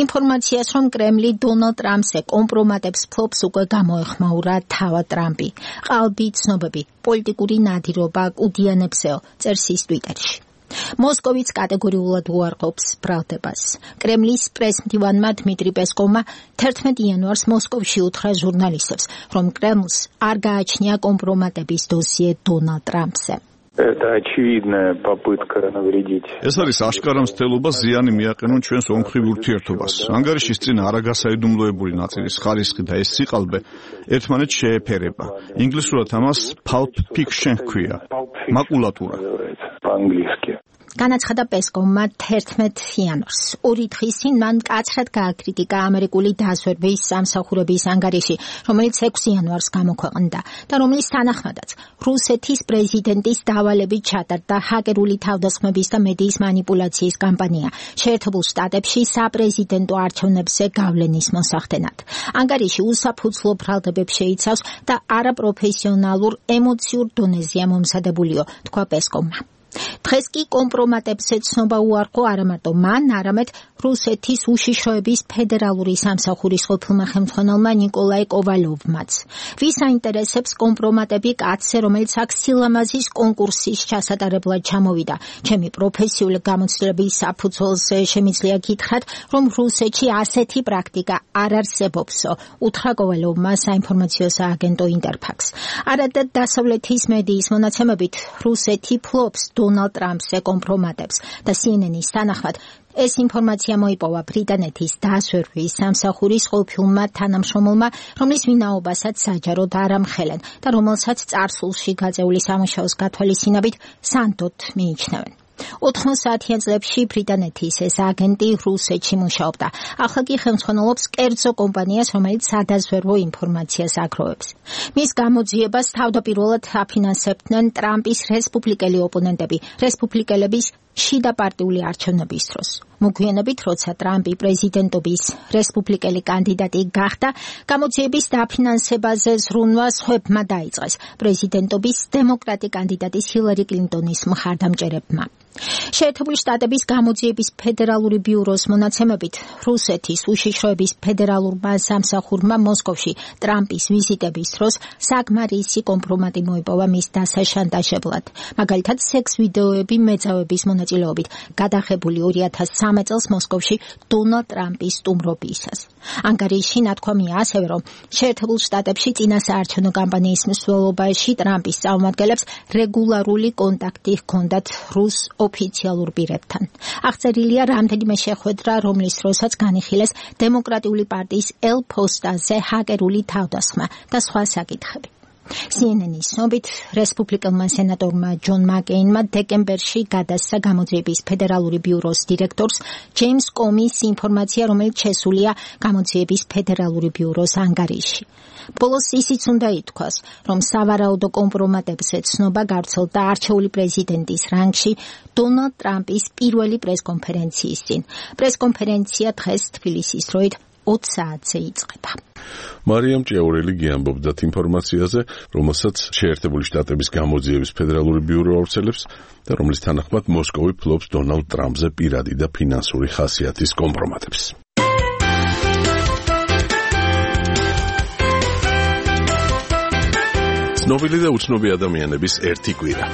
ინფორმაციას, რომ კრემლი დონალდ ტრამპზე კომპრომატებს ფლობს, უკვე გამოეხმაურა თავად ტრამპი. ყალბი ცნობები, პოლიტიკური ნადირობა კუდიანებზეო, წერს ის ტვიტერში. მოსკოვიც კატეგორიულად უარყოფს ბრალდებას. კრემლის პრესმდივანმა დმიტრი პესკოვმა თერთმეტი იანვარს მოსკოვში უთხრა ჟურნალისტებს, რომ კრემლს არ გააჩნია კომპრომატების დოსიე დონალდ ტრამპზე. Это очевидная попытка навредить. ეს არის აშკარა მცდელობა ზიანი მიაყენონ ჩვენს ომხრივ ურთიერთობას. ანგარიშის წინ არაგასაიდუმლოებული ნაწილის ხარისხი და ეს სიყალბე ერთმანეთს შეეფერება. ინგლისურად ამას pulp fiction ჰქვია. მაკულატურა. По-английски. განაცხადა პესკოვმა თერთმეტ იანვარს. ორი დღის წინ მან მკაცრად გააკრიტიკა ამერიკული დაზვერვის სამსახურების ანგარიში, რომელიც ექვსი იანვარს გამოქვეყნდა და რომლის თანახმადაც რუსეთის პრეზიდენტის დავალებით ჩატარდა ჰაკერული თავდასხმების და მედიის მანიპულაციის კამპანია შეერთებულ შტატებში საპრეზიდენტო არჩევნებზე გავლენის მოსახდენად. ანგარიში უსაფუძვლო ბრალდებებს შეიცავს და არაპროფესიონალურ ემოციურ დონეზეა მომზადებულიო, თქვა პესკოვმა. დღეს კი კომპრომატებზე ცნობა უარყო არა მარტო მან, არამედ რუსეთის უშიშროების ფედერალური სამსახურის ყოფილმა ხელმძღვანელმა ნიკოლაი კოვალოვმაც. ვის აინტერესებს კომპრომატები კაცზე, რომელიც აქ სილამაზის კონკურსის ჩასატარებლად ჩამოვიდა. ჩემი პროფესიული გამოცდილების საფუძველზე შემიძლია გითხრათ, რომ რუსეთში ასეთი პრაქტიკა არ არსებობსო, უთხრა კოვალოვმა საინფორმაციო სააგენტო ინტერფაქს. არადა დასავლეთის მედიის მონაცემებით რუსეთი ფლობს დონალდ ტრამპზე კომპრომატებს და C N N-ის თანახმად ეს ინფორმაცია მოიპოვა ბრიტანეთის დაზვერვის სამსახურის ყოფილმა თანამშრომელმა, რომლის ვინაობასაც საჯაროდ არ ამხელენ და რომელსაც წარსულში გაწეული სამუშაოს გათვალისწინებით სანდოდ მიიჩნევენ. ოთხმოცდაათიან წლებში ბრიტანეთის ეს აგენტი რუსეთში მუშაობდა. ახლა კი ხელმძღვანელობს კერძო კომპანიას, რომელიც სადაზვერვო ინფორმაციას აგროვებს. მის გამოძიებას თავდაპირველად აფინანსებდნენ ტრამპის რესპუბლიკელი ოპონენტები, რესპუბლიკელების შიდა პარტიული არჩევნების დროს. მოგვიანებით, როცა ტრამპი პრეზიდენტობის რესპუბლიკელი კანდიდატი გახდა, გამოძიების დაფინანსებაზე ზრუნვა სხვებმა დაიწყეს პრეზიდენტობის დემოკრატი კანდიდატის ჰილარი კლინტონის მხარდამჭერებმა. შეერთებული შტატების გამოძიების ფედერალური ბიუროს მონაცემებით, რუსეთის უშიშროების ფედერალურმა სამსახურმა მოსკოვში ტრამპის ვიზიტების დროს საკმარისი კომპრომატი მოიპოვა მის დასაშანტაჟებლად. მაგალითად, სექს ვიდეოები მეძავების მონაწილეობით გადაღებული ორი ათას სამი წელს მოსკოვში დონალდ ტრამპის სტუმრობისას. ანგარიში ნათქვამია ასევე, რომ შეერთებულ შტატებში წინასაარჩევნო კამპანიის მსვლელობაში ტრამპის წარმომადგენლებს რეგულარული კონტაქტი ჰქონდათ რუს ოფიციალურ პირებთან. აღწერილია რამდენიმე შეხვედრა, რომლის დროსაც განიხილეს დემოკრატიული პარტიის ელ პოსტაზე ჰაკერული თავდასხმა და სხვა საკითხები. C N N-ის ცნობით, რესპუბლიკელმა სენატორმა ჯონ მაკეინმა დეკემბერში გადასცა გამოძიების ფედერალური ბიუროს დირექტორს ჯეიმს კომის ინფორმაცია, რომელიც შესულია გამოძიების ფედერალური ბიუროს ანგარიში. ბოლოს ისიც უნდა ითქვას, რომ სავარაუდო კომპრომატებზე ცნობა გავრცელდა არჩეული პრეზიდენტის რანგში დონალდ ტრამპის პირველი პრესკონფერენციის წინ. პრესკონფერენცია დღეს თბილისის დროით ოც საათზე იწყება. მარიამ ჭიაურელი გიამბობდათ ინფორმაციაზე, რომელსაც შეერთებული შტატების გამოძიების ფედერალური ბიურო ავრცელებს და რომლის თანახმად მოსკოვი ფლობს დონალდ ტრამპზე პირადი და ფინანსური ხასიათის კომპრომატებს. ცნობილი და უცნობი ადამიანების ერთი კვირა.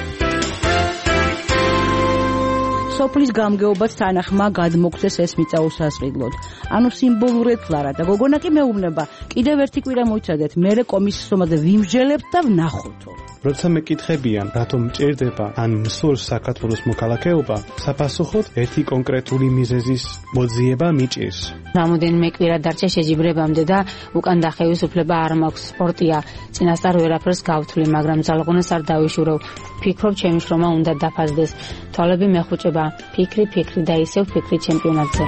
სოფლის გამგეობაც თანახმა გადმოგცეს ეს მიწა უსასყიდლოდ. ანუ სიმბოლურად ლარა და გოგონა კი მეუბნება, კიდევ ერთი კვირა მოიცადეთ, მერე კომისიის ომაზე ვიმსჯელებთ და ვნახოთო. როცა მეკითხებიან, რატომ მჭირდება ან მსურს საქართველოს მოქალაქეობა, საფასუხოდ ერთი კონკრეტული მიზეზის მოძიება მიჭირს. რამოდენიმე კვირა დარჩა შეჯიბრებამდე და უკან დახევის უფლება არ მაქვს. სპორტია, წინასწარ ვერაფერს გავთვლი, მაგრამ ძალღონას არ დავიშურავ. ფიქრობ, ჩემი შრომა უნდა დაფასდეს. თვალები მეხუჭება, ფიქრი, ფიქრი და ისევ ფიქრი ჩემპიონატზე.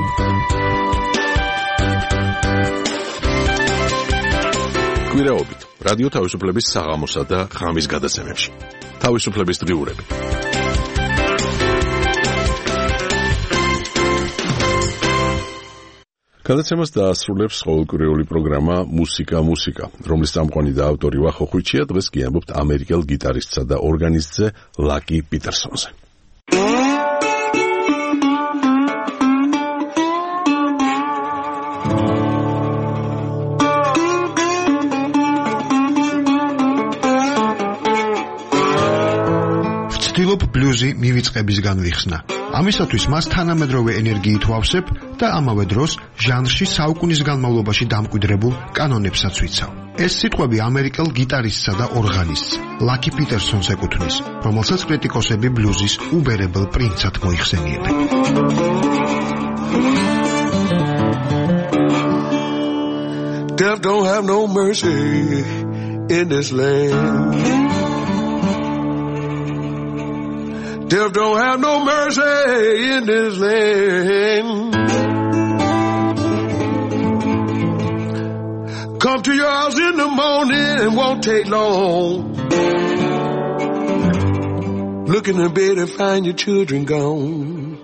კვირაობით რადიო თავისუფლების საღამოსა და ღამის გადაცემებში. თავისუფლების დღიურები. გადაცემას დაასრულებს ყოველკვირეული პროგრამა მუსიკა მუსიკა, რომლის წამყვანი და ავტორი ვახო ხვიჩია. დღეს გიამბობთ ამერიკელ გიტარისტსა და ორგანისტზე ლაკი პიტერსონზე. ვცდილობ ბლუზი მივიწყების განვიხსნა. ამისათვის მას თანამედროვე ენერგიით ვავსებ და ამავე დროს ჟანრში საუკუნის განმავლობაში დამკვიდრებულ კანონებსაც ვიცავ. ეს სიტყვები ამერიკელ გიტარისტსა და ორღანისტს, ლაკი პიტერსონს ეკუთვნის, რომელსაც კრიტიკოსები ბლუზის უბერებელ პრინცად მოიხსენიებენ. Death don't have no mercy in this land. Death don't have no mercy in this land. Come to your house in the morning and won't take long. Look in the bed and find your children gone.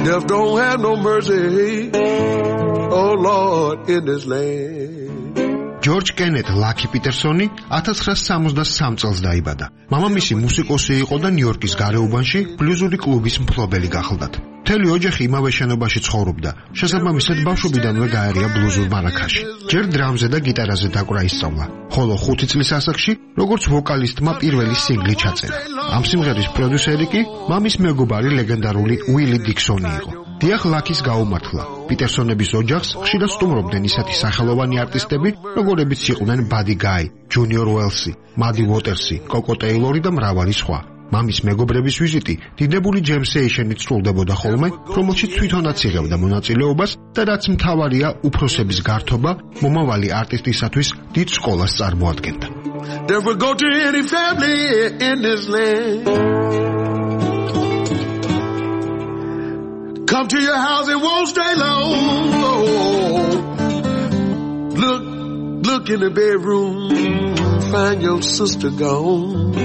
Death don't have no mercy, oh Lord, in this land. ჯორჯ კენეთ ლაკი პიტერსონი ათას ცხრაას სამოცდასამ წელს დაიბადა. მამამისი მუსიკოსი იყო და ნიუ-იორკის გარეუბანში ბლუზური კლუბის მფლობელი გახლდათ. მთელი ოჯახი იმავე შენობაში ცხოვრობდა. შესაბამისად ბავშვობიდანვე გაერია ბლუზურ მარაქაში. ჯერ დრამზე და გიტარაზე დაკვრა ისწავლა. ხოლო ხუთი წლის ასაკში, როგორც ვოკალისტმა პირველი სინგლი ჩაწერა. ამ სიმღერის პროდიუსერი კი მამის მეგობარი ლეგენდარული უილი დიქსონი იყო. დიახ, ლაკის გაუმართლა. პიტერსონების ოჯახს ხშირად სტუმრობდნენ ისეთი სახელოვანი არტისტები, როგორებიც იყვნენ ბადი გაი, ჯუნიორ უელსი, მადი უოტერსი, კოკო ტეილორი და მრავალი სხვა. მამის მეგობრების ვიზიტი დიდებული ჯეიმს ეიშენით სრულდებოდა ხოლმე, რომელშიც თვითონაც იღებდა მონაწილეობას და რაც მთავარია, უფროსების გართობა მომავალი არტისტისათვის დიდ სკოლას წარმოადგენდა. There will go to any family in this land. Come to your house, it won't stay long. Oh, look, look in the bedroom, find your sister gone.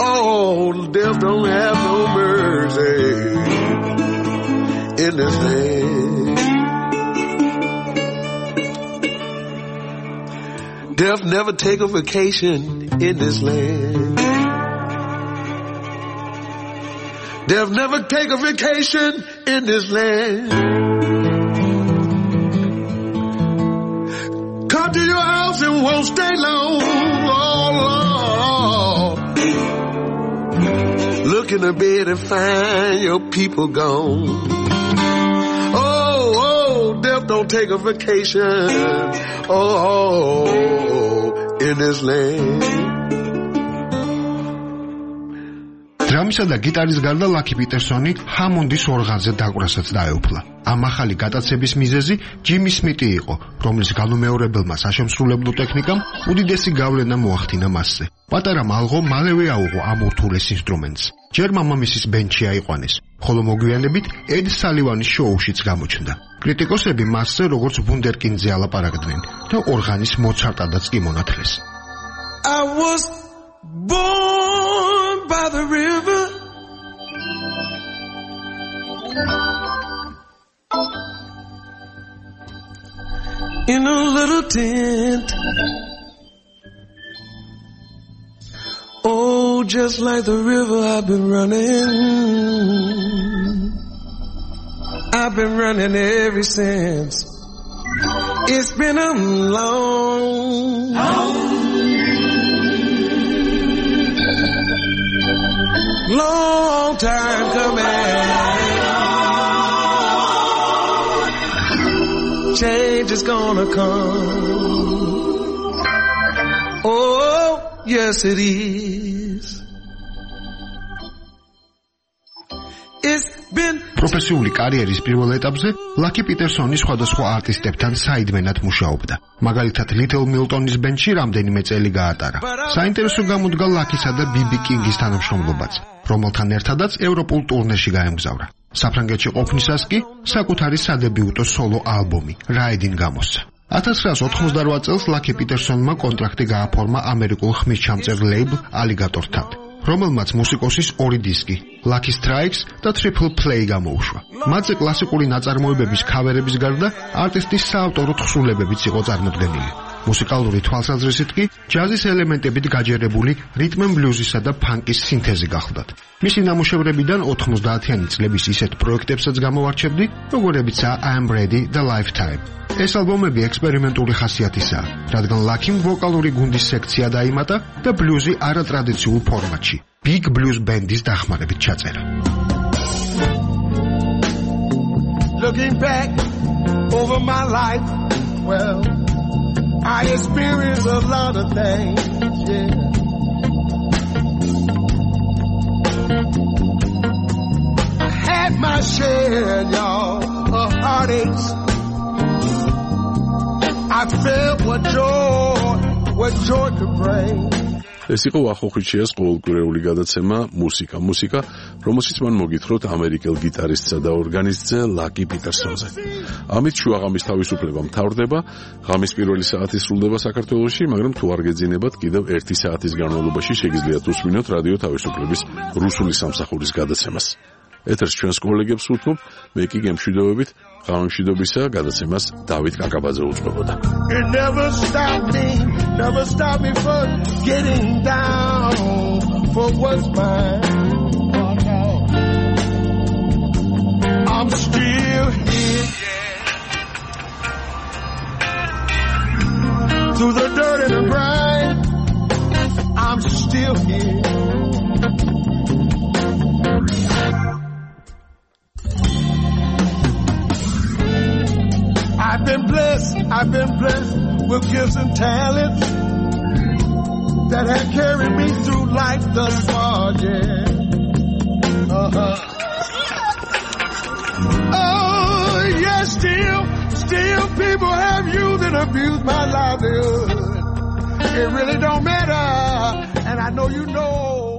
Oh, death don't have no mercy in this land. Death never take a vacation in this land. Death never take a vacation in this land. Come to your house and won't stay long. Oh, Lord. Look in the bed and find your people gone. Oh, oh, death don't take a vacation. Oh, oh in this land. დრამისა და გიტარის გარდა ლაკი პიტერსონი ჰამონდის ორღანზე დაკვრასაც დაეუფლა. ამ ახალი გატაცების მიზეზი ჯიმი სმიტი იყო, რომლის განუმეორებელმა საშემსრულებლო ტექნიკამ უდიდესი გავლენა მოახდინა მასზე. პატარა მალღო მალევე აუღო ამ ურთულეს ინსტრუმენტს. ჯერ მამამისის ბენდში აიყვანეს, ხოლო მოგვიანებით ედ სალივანის შოუშიც გამოჩნდა. კრიტიკოსები მასზე როგორც ვუნდერკინდზე ალაპარაკდნენ და ორღანის მოცარტადაც კი მონათლეს. I was born by the river, in a little tent. Oh, just like the river I've been running, I've been running ever since. It's been a long, long time coming. Change is gonna come. Oh, yes it is. It's been პროფესიული კარიერის პირველ ეტაპზე ლაკი პიტერსონი სხვადასხვა არტისტებთან საიდმენად მუშაობდა. მაგალითად, ლიტლ მილტონის ბენდში რამდენიმე წელი გაატარა. საინტერესო გამოდგა ლაკისა და ბიბი კინგის თანამშრომლობაც, რომელთან ერთადაც ევროპულ ტურნეში გაემგზავრა. საფრანგეთში ყოფნისას კი საკუთარი სადებიუტო სოლო ალბომი რაიდინგ გამოსცა. ათას ცხრაას ოთხმოცდარვა წელს ლაკი პიტერსონმა კონტრაქტი გააფორმა ამერიკულ ხმისჩამწერ ლეიბლ ალიგატორთან, რომელმაც მუსიკოსის ორი დისკი, Lucky Strikes და Triple Play გამოუშვა. მათზე კლასიკური ნაწარმოებების ქავერების გარდა არტისტის საავტორო თხზულებებიც იყო წარმოდგენილი. მუსიკალური თვალსაზრისით კი ჯაზის ელემენტებით გაჯერებული რიტმ ენ ბლუზისა და ფანკის სინთეზი გახლდათ. მისი ნამუშევრებიდან ოთხმოცდაათიანი წლების ისეთ პროექტებსაც გამოვარჩევდი, როგორებიცაა I Am Ready და Lifetime. ეს ალბომები ექსპერიმენტული ხასიათისაა, რადგან ლაკიმ ვოკალური გუნდის სექცია დაიმატა და ბლუზი არატრადიციულ ფორმატში, Big Blues Band-ის დახმარებით ჩაწერა. Looking back over my life, well, I experienced a lot of things, yeah. I had my share, y'all, of heartaches. I felt what joy, what joy could bring. ეს იყო ვახოხიჩიას ყოველკვირეული გადაცემა მუსიკა მუსიკა, რომელშიც მან მოგითხროთ ამერიკელ გიტარისტსა და ორგანისტზე ლაკი პიტერსონზე. ამით შუაღამის თავისუფლება მთავრდება, ღამის პირველი საათი სრულდება საქართველოში, მაგრამ თუ არ გეძინებათ, კიდევ ერთი საათის განმავლობაში შეგიძლიათ უსმინოთ რადიო თავისუფლების რუსული სამსახურის გადაცემას. ეთერს ჩვენს კოლეგებს ვუთმობ, მე კი გემშვიდობებით, ღამემშვიდობისა გადაცემას დავით კაკაბაძე უწყობოდა. It never stopped me, never stopped me from getting down for what's mine. Oh, no. I'm still here, yeah. Through the dirt and the grime, I'm still here. I've been blessed, I've been blessed with gifts and talents that have carried me through life thus far, yeah. Uh-huh. Oh, yes, still, still people have used and abused my livelihood. It really don't matter, and I know you know.